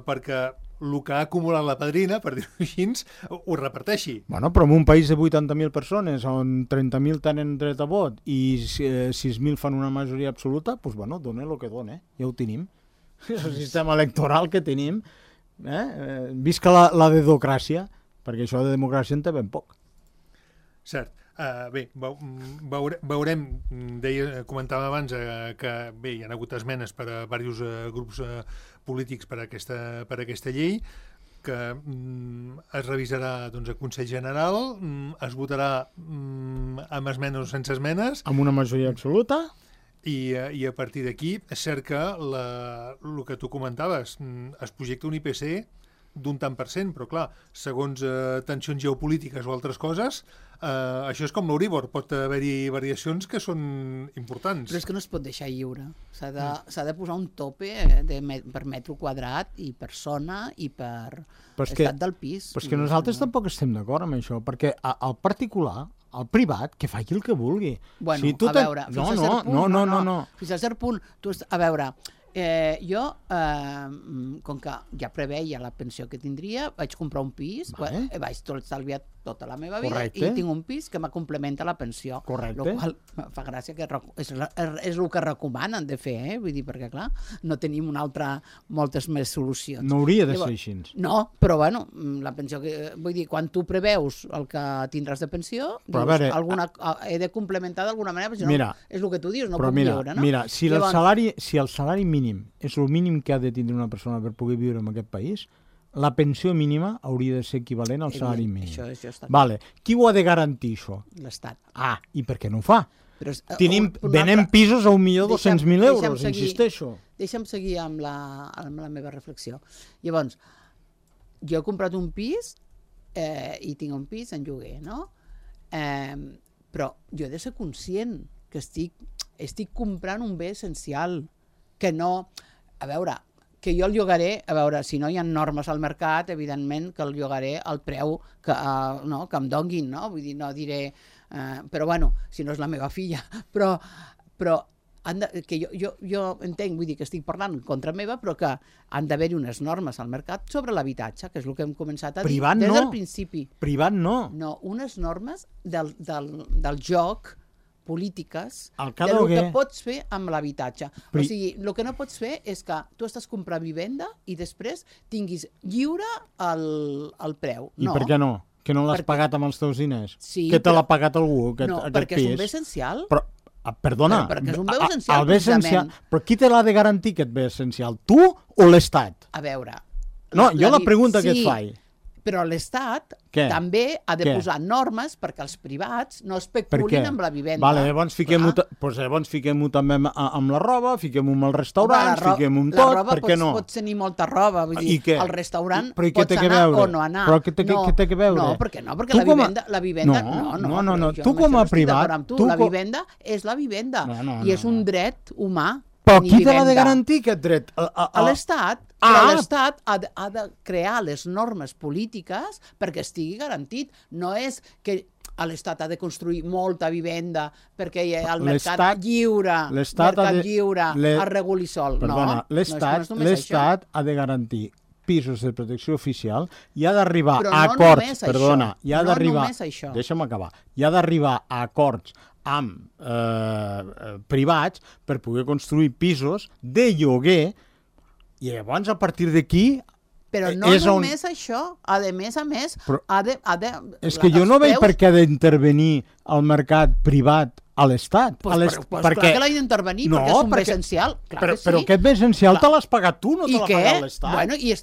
perquè el que ha acumulat la padrina, per dir-ho així, ho reparteixi. Bueno, però en un país de 80.000 persones, on 30.000 tenen dret a vot i 6.000 fan una majoria absoluta, doncs, bueno, dona el que dona, ja ho tenim. És el sistema electoral que tenim. Visca la dedocràcia, perquè això de democràcia en té ben poc. Cert. Bé, veurem, comentàvem abans que bé, hi ha hagut esmenes per a diversos grups polítics per a aquesta llei, que es revisarà a Consell General, es votarà amb esmenes o sense esmenes. Amb una majoria absoluta. I a partir d'aquí és cert que el que tu comentaves, es projecta un IPC d'un tant per cent, però clar, segons tensions geopolítiques o altres coses, això és com l'Euribor, pot haver-hi variacions que són importants. Però és que no es pot deixar lliure. S'ha de posar un tope per metre quadrat i per zona i per estat del pis. Però és que nosaltres tampoc estem d'acord amb això, perquè el particular, el privat, que faci el que vulgui. Bueno, a veure, fins a cert punt... No. Fins a cert punt, a veure... jo, com que ja preveia la pensió que tindria, vaig comprar un pis, vaig tot estalviar tota la meva vida i tinc un pis que me complementa la pensió. Correcte. El qual fa gràcia que és el que recomanen de fer, vull dir, perquè clar, no tenim moltes més solucions. No hauria de ser així. No, però bueno, la pensió que... Vull dir, quan tu preveus el que tindràs de pensió, dius, he de complementar d'alguna manera, perquè si no, és el que tu dius, no puc viure, no? Mira, si el salari mínim és el mínim que ha de tindre una persona per poder viure en aquest país, la pensió mínima hauria de ser equivalent al salari mínim. Això està vale. Qui ho ha de garantir, això? L'Estat. I per què no ho fa? Venem pisos a 1.200.000 euros, insisteixo. Deixa'm seguir amb la meva reflexió. Llavors, jo he comprat un pis i tinc un pis en lloguer, no? Però jo he de ser conscient que estic comprant un bé essencial, que no... A veure, que jo el llogaré, a veure, si no hi ha normes al mercat, evidentment que el llogaré al preu que em donguin, no? Vull dir, no diré... però bueno, si no és la meva filla. Però que jo entenc, vull dir que estic parlant en contra meva, però que han d'haver-hi unes normes al mercat sobre l'habitatge, que és el que hem començat a dir des del principi. Privat no. No, unes normes del joc polítiques del que pots fer amb l'habitatge. O sigui, el que no pots fer és que tu estàs comprant vivenda i després tinguis lliure el preu. I per què no? Que no l'has pagat amb els teus diners? Que te l'ha pagat algú, aquest pis? No, perquè és un bé essencial. Perdona, perquè és un bé essencial, el bé essencial. Però qui te l'ha de garantir, aquest bé essencial? Tu o l'Estat? A veure... No, jo la pregunta que et faig. Però l'Estat també ha de posar normes perquè els privats no especulin amb la vivenda. Llavors fiquem-ho també amb la roba, fiquem-ho amb els restaurants, fiquem-ho amb tot, per què no? La roba pots tenir molta roba, vull dir, al restaurant pots anar o no anar. Però què té que veure? No, per què no? Perquè la vivenda... No, tu com a privat... La vivenda és la vivenda i és un dret humà. Però qui te l'ha de garantir, aquest dret? L'Estat. Però l'Estat ha de crear les normes polítiques perquè estigui garantit. No és que l'Estat ha de construir molta vivenda perquè el mercat lliure es reguli sol. Perdona, l'Estat ha de garantir pisos de protecció oficial i ha d'arribar a acords... Perdona, i ha d'arribar... Deixa'm acabar. I ha d'arribar a acords amb privats per poder construir pisos de lloguer i llavors a partir d'aquí... Però no només això, a més, ha de... És que jo no veig per què ha d'intervenir el mercat privat a l'Estat. Clar que l'ha d'intervenir, perquè és un bé essencial. Però aquest bé essencial te l'has pagat tu, no te l'ha pagat l'Estat. Bueno, i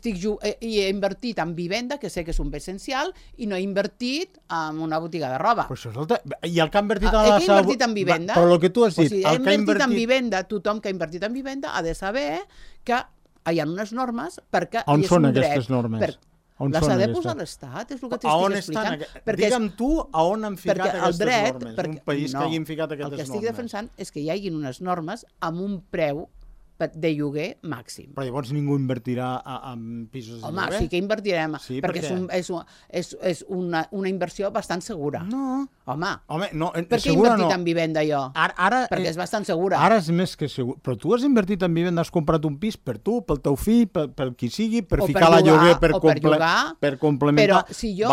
he invertit en vivenda, que sé que és un bé essencial, i no he invertit en una botiga de roba. I el que ha invertit en la... He invertit en vivenda. Però el que tu has dit... He invertit en vivenda, tothom que ha invertit en vivenda ha de saber que hi ha unes normes perquè on són aquestes normes? Les ha de posar l'Estat, és el que t'estic explicant. Digue'm tu a on han ficat aquestes normes, un país que hagin ficat aquestes normes. El que estic defensant és que hi hagi unes normes amb un preu de lloguer màxim. Però llavors ningú invertirà en pisos de lloguer? Home, sí que invertirem, perquè és una inversió bastant segura. No. Home, no, per què he invertit en vivenda jo? Perquè és bastant segura. Ara és més que segur. Però tu has invertit en vivenda, has comprat un pis per tu, pel teu fill, pel qui sigui, per ficar la lloguer, per complementar... Però si jo...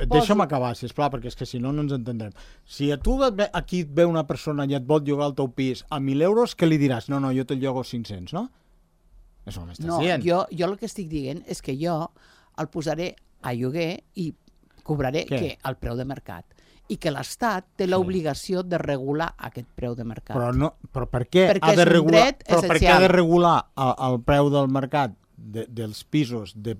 Deixa'm acabar, sisplau, perquè és que si no, no ens entendrem. Si a tu aquí et ve una persona i et vol llogar el teu pis a 1.000 euros, què li diràs? No, jo te'l llogo 500, no? Això m'estàs dient. Jo el que estic dient és que jo el posaré a lloguer i cobraré el preu de mercat. I que l'Estat té l'obligació de regular aquest preu de mercat. Però per què ha de regular el preu del mercat dels pisos de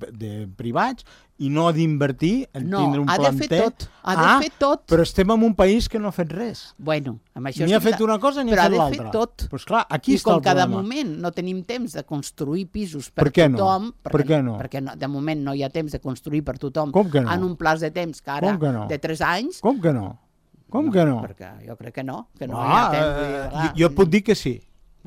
privats i no d'invertir en tindre un planter. No, ha de fer tot. Ha de fer tot. Però estem en un país que no ha fet res. Bueno, amb això ni ha fet una cosa ni ha fet l'altra. Però ha de fer tot. Pues clar, aquí I està el com que de problema. moment no tenim temps de construir pisos per què no? tothom... Per què no? Perquè de moment no hi ha temps de construir per tothom Com que no? en un plaç de temps que ara, Com que no? de 3 anys... Com que no? Com que no? Perquè jo crec que no hi ha temps. Jo et puc dir que sí,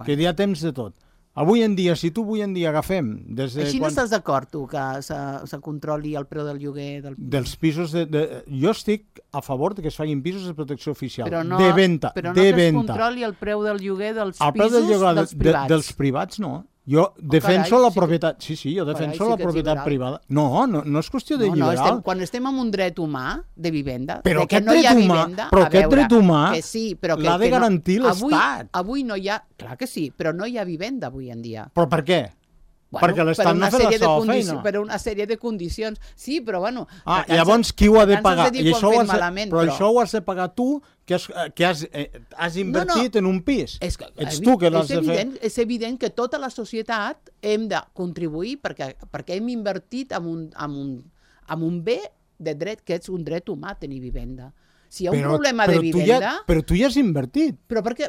que hi ha temps de tot. Avui en dia, si tu avui en dia agafem... Així no estàs d'acord, tu, que se controli el preu del lloguer? Dels pisos... Jo estic a favor de que es facin pisos de protecció oficial, però no, de venda. Però no que es controli el preu del lloguer dels pisos dels privats. Dels privats, no. Jo defenso la propietat... Sí, jo defenso la propietat privada. No és qüestió de liberal. Quan estem en un dret humà de vivenda, però que no hi ha vivenda... Però aquest dret humà l'ha de garantir l'Estat. Avui no hi ha... Clar que sí, però no hi ha vivenda avui en dia. Però per què? Perquè l'Estat no ha fet la seva feina. Per una sèrie de condicions. Sí, però bueno... Llavors qui ho ha de pagar? Però això ho has de pagar tu, que has invertit en un pis. Ets tu que l'has de fer. És evident que tota la societat hem de contribuir perquè hem invertit en un bé de dret, que és un dret humà tenir vivenda. Si hi ha un problema de vivenda... Però tu ja has invertit.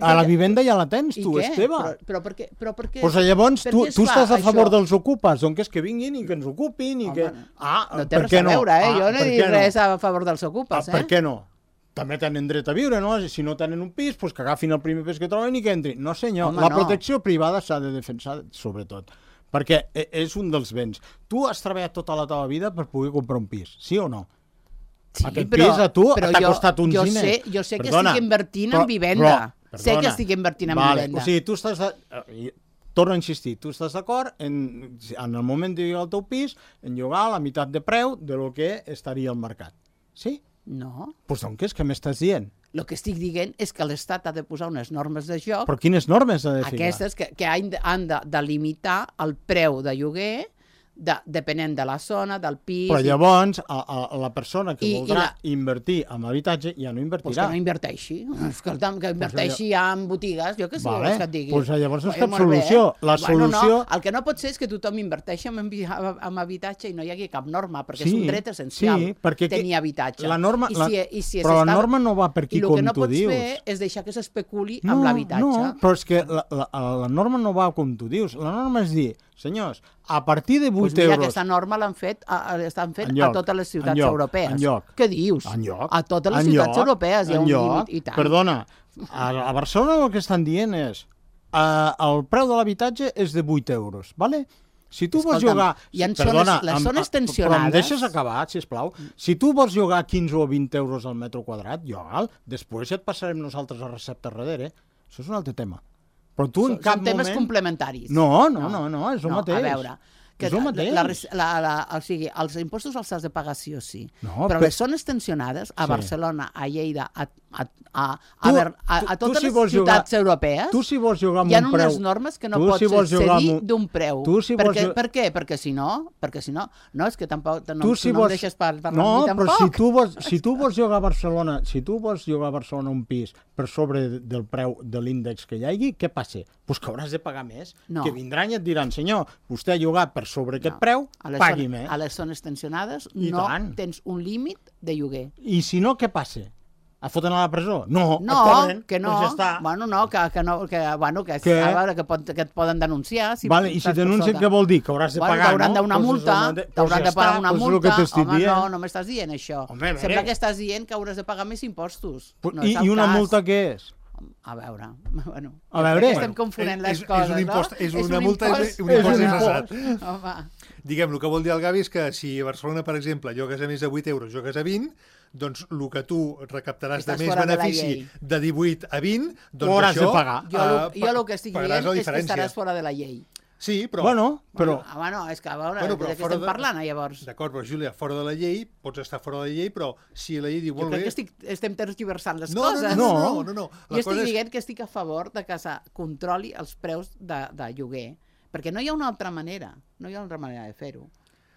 A la vivenda ja la tens, tu, és teva. Però per què? Doncs llavors tu estàs a favor dels ocupes, doncs que vinguin i que ens ocupin i que... No té res a veure, jo no he dit res a favor dels ocupes, Per què no? També tenen dret a viure, no? Si no tenen un pis, doncs que agafin el primer pis que troben i que entrin. No, senyor, la protecció privada s'ha de defensar, sobretot, perquè és un dels béns. Tu has treballat tota la teva vida per poder comprar un pis, sí o no? Sí, aquest pis a tu t'ha costat uns diners. Jo sé que estic invertint en vivenda. Sé que estic invertint en vivenda. O sigui, tu estàs... Torno a insistir, tu estàs d'acord en el moment de llogar el teu pis, en llogar la meitat de preu de lo que estaria al mercat. Sí? No. Doncs què m'estàs dient? El que estic dient és que l'Estat ha de posar unes normes de joc... Però quines normes ha de ficar? Aquestes que han de limitar el preu de lloguer depenent de la zona, del pis... Però llavors la persona que voldrà invertir en habitatge ja no invertirà. Doncs que no inverteixi. Escolta'm, que inverteixi ja en botigues, jo què sé, vols que et digui. Doncs llavors no és cap solució. La solució... El que no pot ser és que tothom inverteixi en habitatge i no hi hagi cap norma, perquè és un dret essencial tenir habitatge. Però la norma no va per aquí, com tu dius. I el que no pots fer és deixar que s'especuli amb l'habitatge. No, però és que la norma no va com tu dius. La norma és dir, senyors, a partir de 8 euros... Aquesta norma l'han fet a totes les ciutats europees. Què dius? A totes les ciutats europees hi ha un límit, i tant. Perdona, a Barcelona el que estan dient és el preu de l'habitatge és de 8 euros, ¿vale? Si tu vols llogar... Perdona, les zones tensionades... Però em deixes acabar, sisplau. Si tu vols llogar 15 o 20 euros al metre quadrat, lloga'l. Després ja et passarem nosaltres a recepta darrere. Això és un altre tema. Però tu en cap moment... Són temes complementaris. No, és el mateix. A veure, és el mateix. O sigui, els impostos els has de pagar sí o sí. Però les zones tensionades, a Barcelona, a Lleida, a totes les ciutats europees, hi ha unes normes que no pots cedir d'un preu. Per què? Perquè si no, no, és que tampoc no em deixes parlar amb mi tampoc. No, però si tu vols llogar a Barcelona un pis per sobre del preu de l'índex que hi hagi, què passa? Doncs que hauràs de pagar més. Que vindran i et diran, senyor, vostè ha llogat per sobre aquest preu, pagui més. A les zones tensionades no tens un límit de lloguer. I si no, què passa? Et foten a la presó? No, et cobren, que no. Doncs ja està. Bueno, no, que a veure, que et poden denunciar. I si denuncien, què vol dir? Que hauràs de pagar, no? T'hauran de pagar una multa. Home, no m'estàs dient això. Sembla que estàs dient que hauràs de pagar més impostos. I una multa què és? A veure, estem confonent les coses, no? És una multa, és un impost ingressat. Diguem, el que vol dir el Gavi és que si a Barcelona, per exemple, llogues a més de 8 euros, llogues a 20, doncs el que tu recaptaràs de més benefici de 18 a 20, doncs hauràs de pagar. Jo el que estic dient és que estaràs fora de la llei. Sí, però... és que a veure, de què estem parlant, llavors? D'acord, però Júlia, fora de la llei, pots estar fora de la llei, però si la llei diu molt bé... Jo crec que estem tergiversant les coses. No. Jo estic dient que estic a favor de que se controli els preus de lloguer, perquè no hi ha una altra manera, de fer-ho.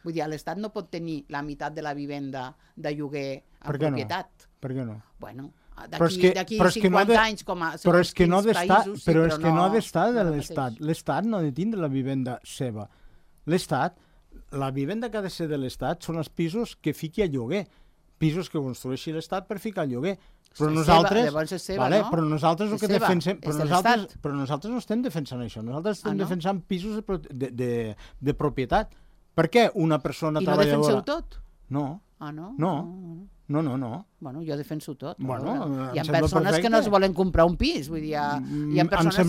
Vull dir, l'Estat no pot tenir la meitat de la vivenda de lloguer en propietat. Per què no? Bueno, d'aquí 50 anys com a però és que no ha d'estar de l'Estat. L'Estat no ha de tindre la vivenda seva. L'Estat, la vivenda que ha de ser de l'Estat són els pisos que fiqui a lloguer, pisos que construeixi l'Estat per ficar a lloguer. Però nosaltres, però nosaltres el que defensem, però nosaltres no estem defensant això, nosaltres estem defensant pisos de propietat. Per què una persona treballadora... I no defenseu tot? No. Ah, no? No. Bueno, jo defenso tot. Bueno, hi ha persones que no es volen comprar un pis, vull dir, hi ha persones, hi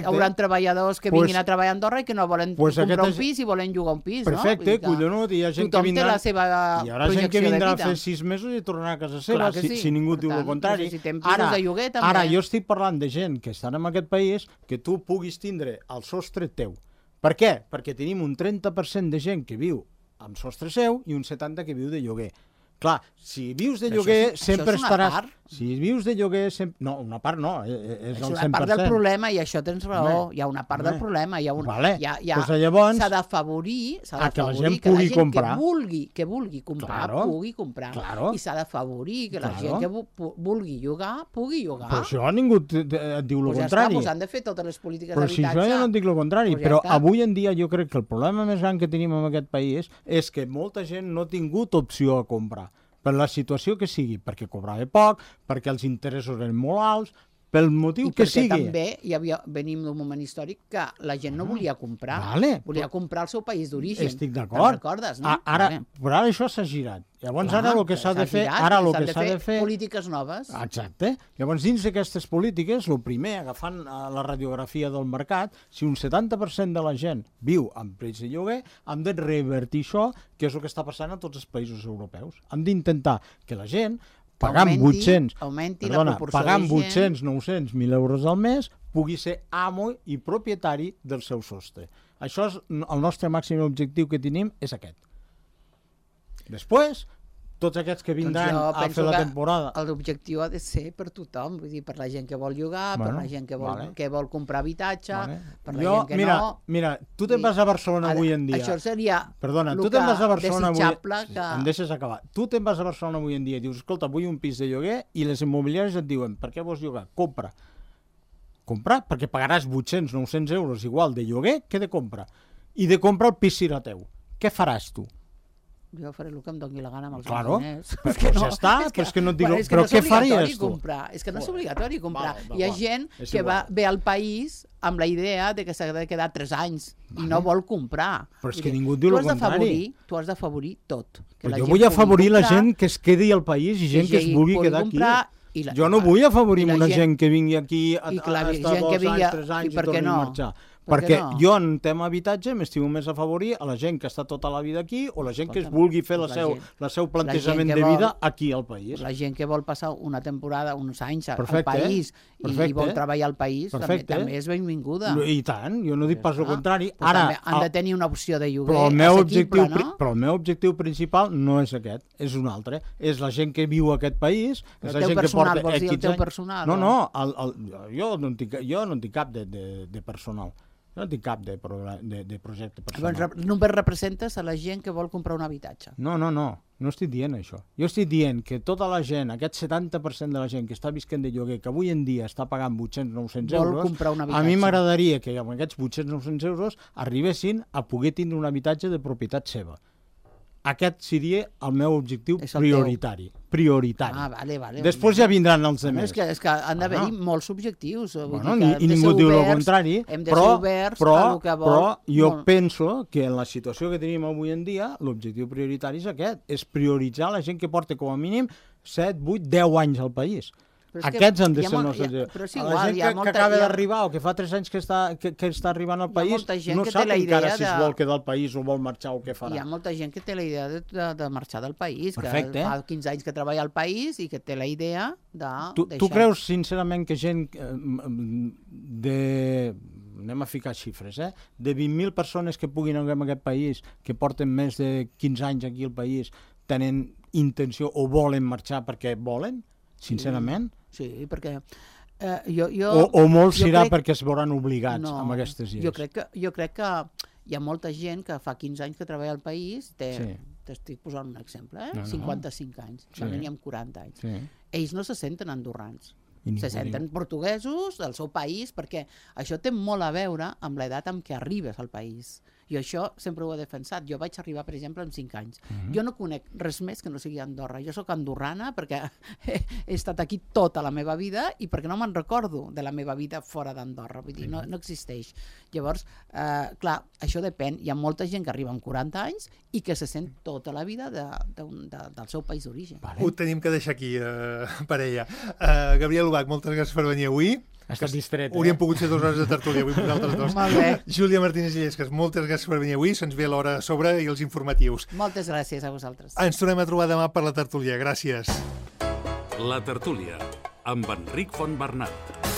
haurà treballadors que vinguin a treballar a Andorra i que no volen comprar un pis i volen llogar un pis, no? Perfecte, collonut, hi ha gent que vindrà... Tothom té la seva projecció de vida. Hi haurà gent que vindrà a fer 6 mesos i tornarà a casa seva, si ningú diu el contrari. Ara, jo estic parlant de gent que estan en aquest país que tu puguis tindre el sostre teu. Per què? Perquè tenim un 30% de gent que viu amb sostre seu i un 70% que viu de lloguer. Clar, si vius de lloguer sempre estaràs... Si vius de lloguer sempre... No, una part no, és el 100%. És una part del problema i això tens raó. Hi ha una part del problema. S'ha d'afavorir que la gent que vulgui comprar pugui comprar. I s'ha d'afavorir que la gent que vulgui llogar pugui llogar. Però això ningú et diu el contrari. S'han de fer totes les polítiques d'habitatge. Però si això jo no et dic el contrari. Però avui en dia jo crec que el problema més gran que tenim en aquest país és que molta gent no ha tingut opció a comprar. Per la situació que sigui, perquè cobrava poc, perquè els interessos eren molt alts, pel motiu que sigui. I perquè també venim d'un moment històric que la gent no volia comprar, volia comprar el seu país d'origen. Estic d'acord. Recordes, no? Però ara això s'ha girat. Llavors ara el que s'ha de fer... polítiques noves. Exacte. Llavors dins d'aquestes polítiques, el primer, agafant la radiografia del mercat, si un 70% de la gent viu amb preus de lloguer, hem de revertir això, que és el que està passant a tots els països europeus. Hem d'intentar que la gent pagant 800, 900, 1.000 euros al mes, pugui ser amo i propietari del seu sostre. Això és el nostre màxim objectiu que tenim, és aquest. Després, tots aquests que vindran a fer la temporada... L'objectiu ha de ser per tothom, vull dir, per la gent que vol llogar, per la gent que vol comprar habitatge, per la gent que no... Mira, tu te'n vas a Barcelona avui en dia... Això seria desitjable que... Em deixes acabar. Tu te'n vas a Barcelona avui en dia i dius, escolta, vull un pis de lloguer, i les immobiliàries et diuen, per què vols llogar? Compra. Compra, perquè pagaràs 800, 900 euros igual de lloguer que de compra. I de compra el pis serà teu. Què faràs tu? Jo faré el que em doni la gana amb els diners. Però ja està, però és que no et dic... Però què faries tu? És que no és obligatori comprar. Hi ha gent que ve al país amb la idea de que s'ha de quedar 3 anys i no vol comprar. Però és que ningú diu el contrari. Tu has d'afavorir tot. Però jo vull afavorir la gent que es quedi al país i gent que es vulgui quedar aquí. Jo no vull afavorir una gent que vingui aquí a estar 2 anys, 3 anys i torni a marxar. Perquè jo en tema habitatge m'estimo més a favorir a la gent que està tota la vida aquí o la gent que es vulgui fer el seu plantejament de vida aquí al país. La gent que vol passar una temporada, uns anys al país i vol treballar al país també és benvinguda. I tant, jo no dic pas el contrari. Ara han de tenir una opció de lloguer assequible, no? Però el meu objectiu principal no és aquest, és un altre. És la gent que viu a aquest país. El teu personal, vols dir el teu personal? No, jo no en tinc cap de personal. No tinc cap de projecte personal. Llavors, només representes a la gent que vol comprar un habitatge. No estic dient això. Jo estic dient que tota la gent, aquest 70% de la gent que està visquent de lloguer, que avui en dia està pagant 800-900 euros, a mi m'agradaria que amb aquests 800-900 euros arribessin a poder tindre un habitatge de propietat seva. Aquest seria el meu objectiu prioritari. Vale. Després ja vindran els altres. És que han d'haver-hi molts objectius. I ningú diu el contrari, però jo penso que en la situació que tenim avui en dia l'objectiu prioritari és aquest, és prioritzar la gent que porta com a mínim 7, 8, 10 anys al país. Aquests han de ser els nostres. La gent que acaba d'arribar o que fa 3 anys que està arribant al país no sap encara si es vol quedar al país o vol marxar o què farà. Hi ha molta gent que té la idea de marxar del país, que fa 15 anys que treballa al país i que té la idea de deixar. Tu creus sincerament que gent anem a ficar xifres, de 20.000 persones que puguin anar en aquest país, que porten més de 15 anys aquí al país, tenen intenció o volen marxar perquè volen? Sincerament? Sí, perquè o molts serà perquè es veuran obligats amb aquestes idees. Jo crec que hi ha molta gent que fa 15 anys que treballa al país, t'estic posant un exemple, 55 anys, n'hi ha 40 anys. Ells no se senten andorrans, se senten portuguesos del seu país, perquè això té molt a veure amb l'edat amb què arribes al país. I això sempre ho he defensat. Jo vaig arribar, per exemple, amb 5 anys. Jo no conec res més que no sigui Andorra. Jo sóc andorrana perquè he estat aquí tota la meva vida i perquè no me'n recordo de la meva vida fora d'Andorra. Vull dir, no existeix. Llavors, clar, això depèn. Hi ha molta gent que arriba amb 40 anys i que se sent tota la vida del seu país d'origen. Ho tenim que deixar aquí, parella. Gabriel Ubach, moltes gràcies per venir avui. Ha estat distret, Hauríem pogut ser 2 hores de tertúlia avui per nosaltres dos. Molt bé. Júlia Martínez Illescas, moltes gràcies per venir avui. Se'ns ve l'hora a sobre i els informatius. Moltes gràcies a vosaltres. Ens tornem a trobar demà per la tertúlia. Gràcies. La tertúlia, amb Enric Fontbernat.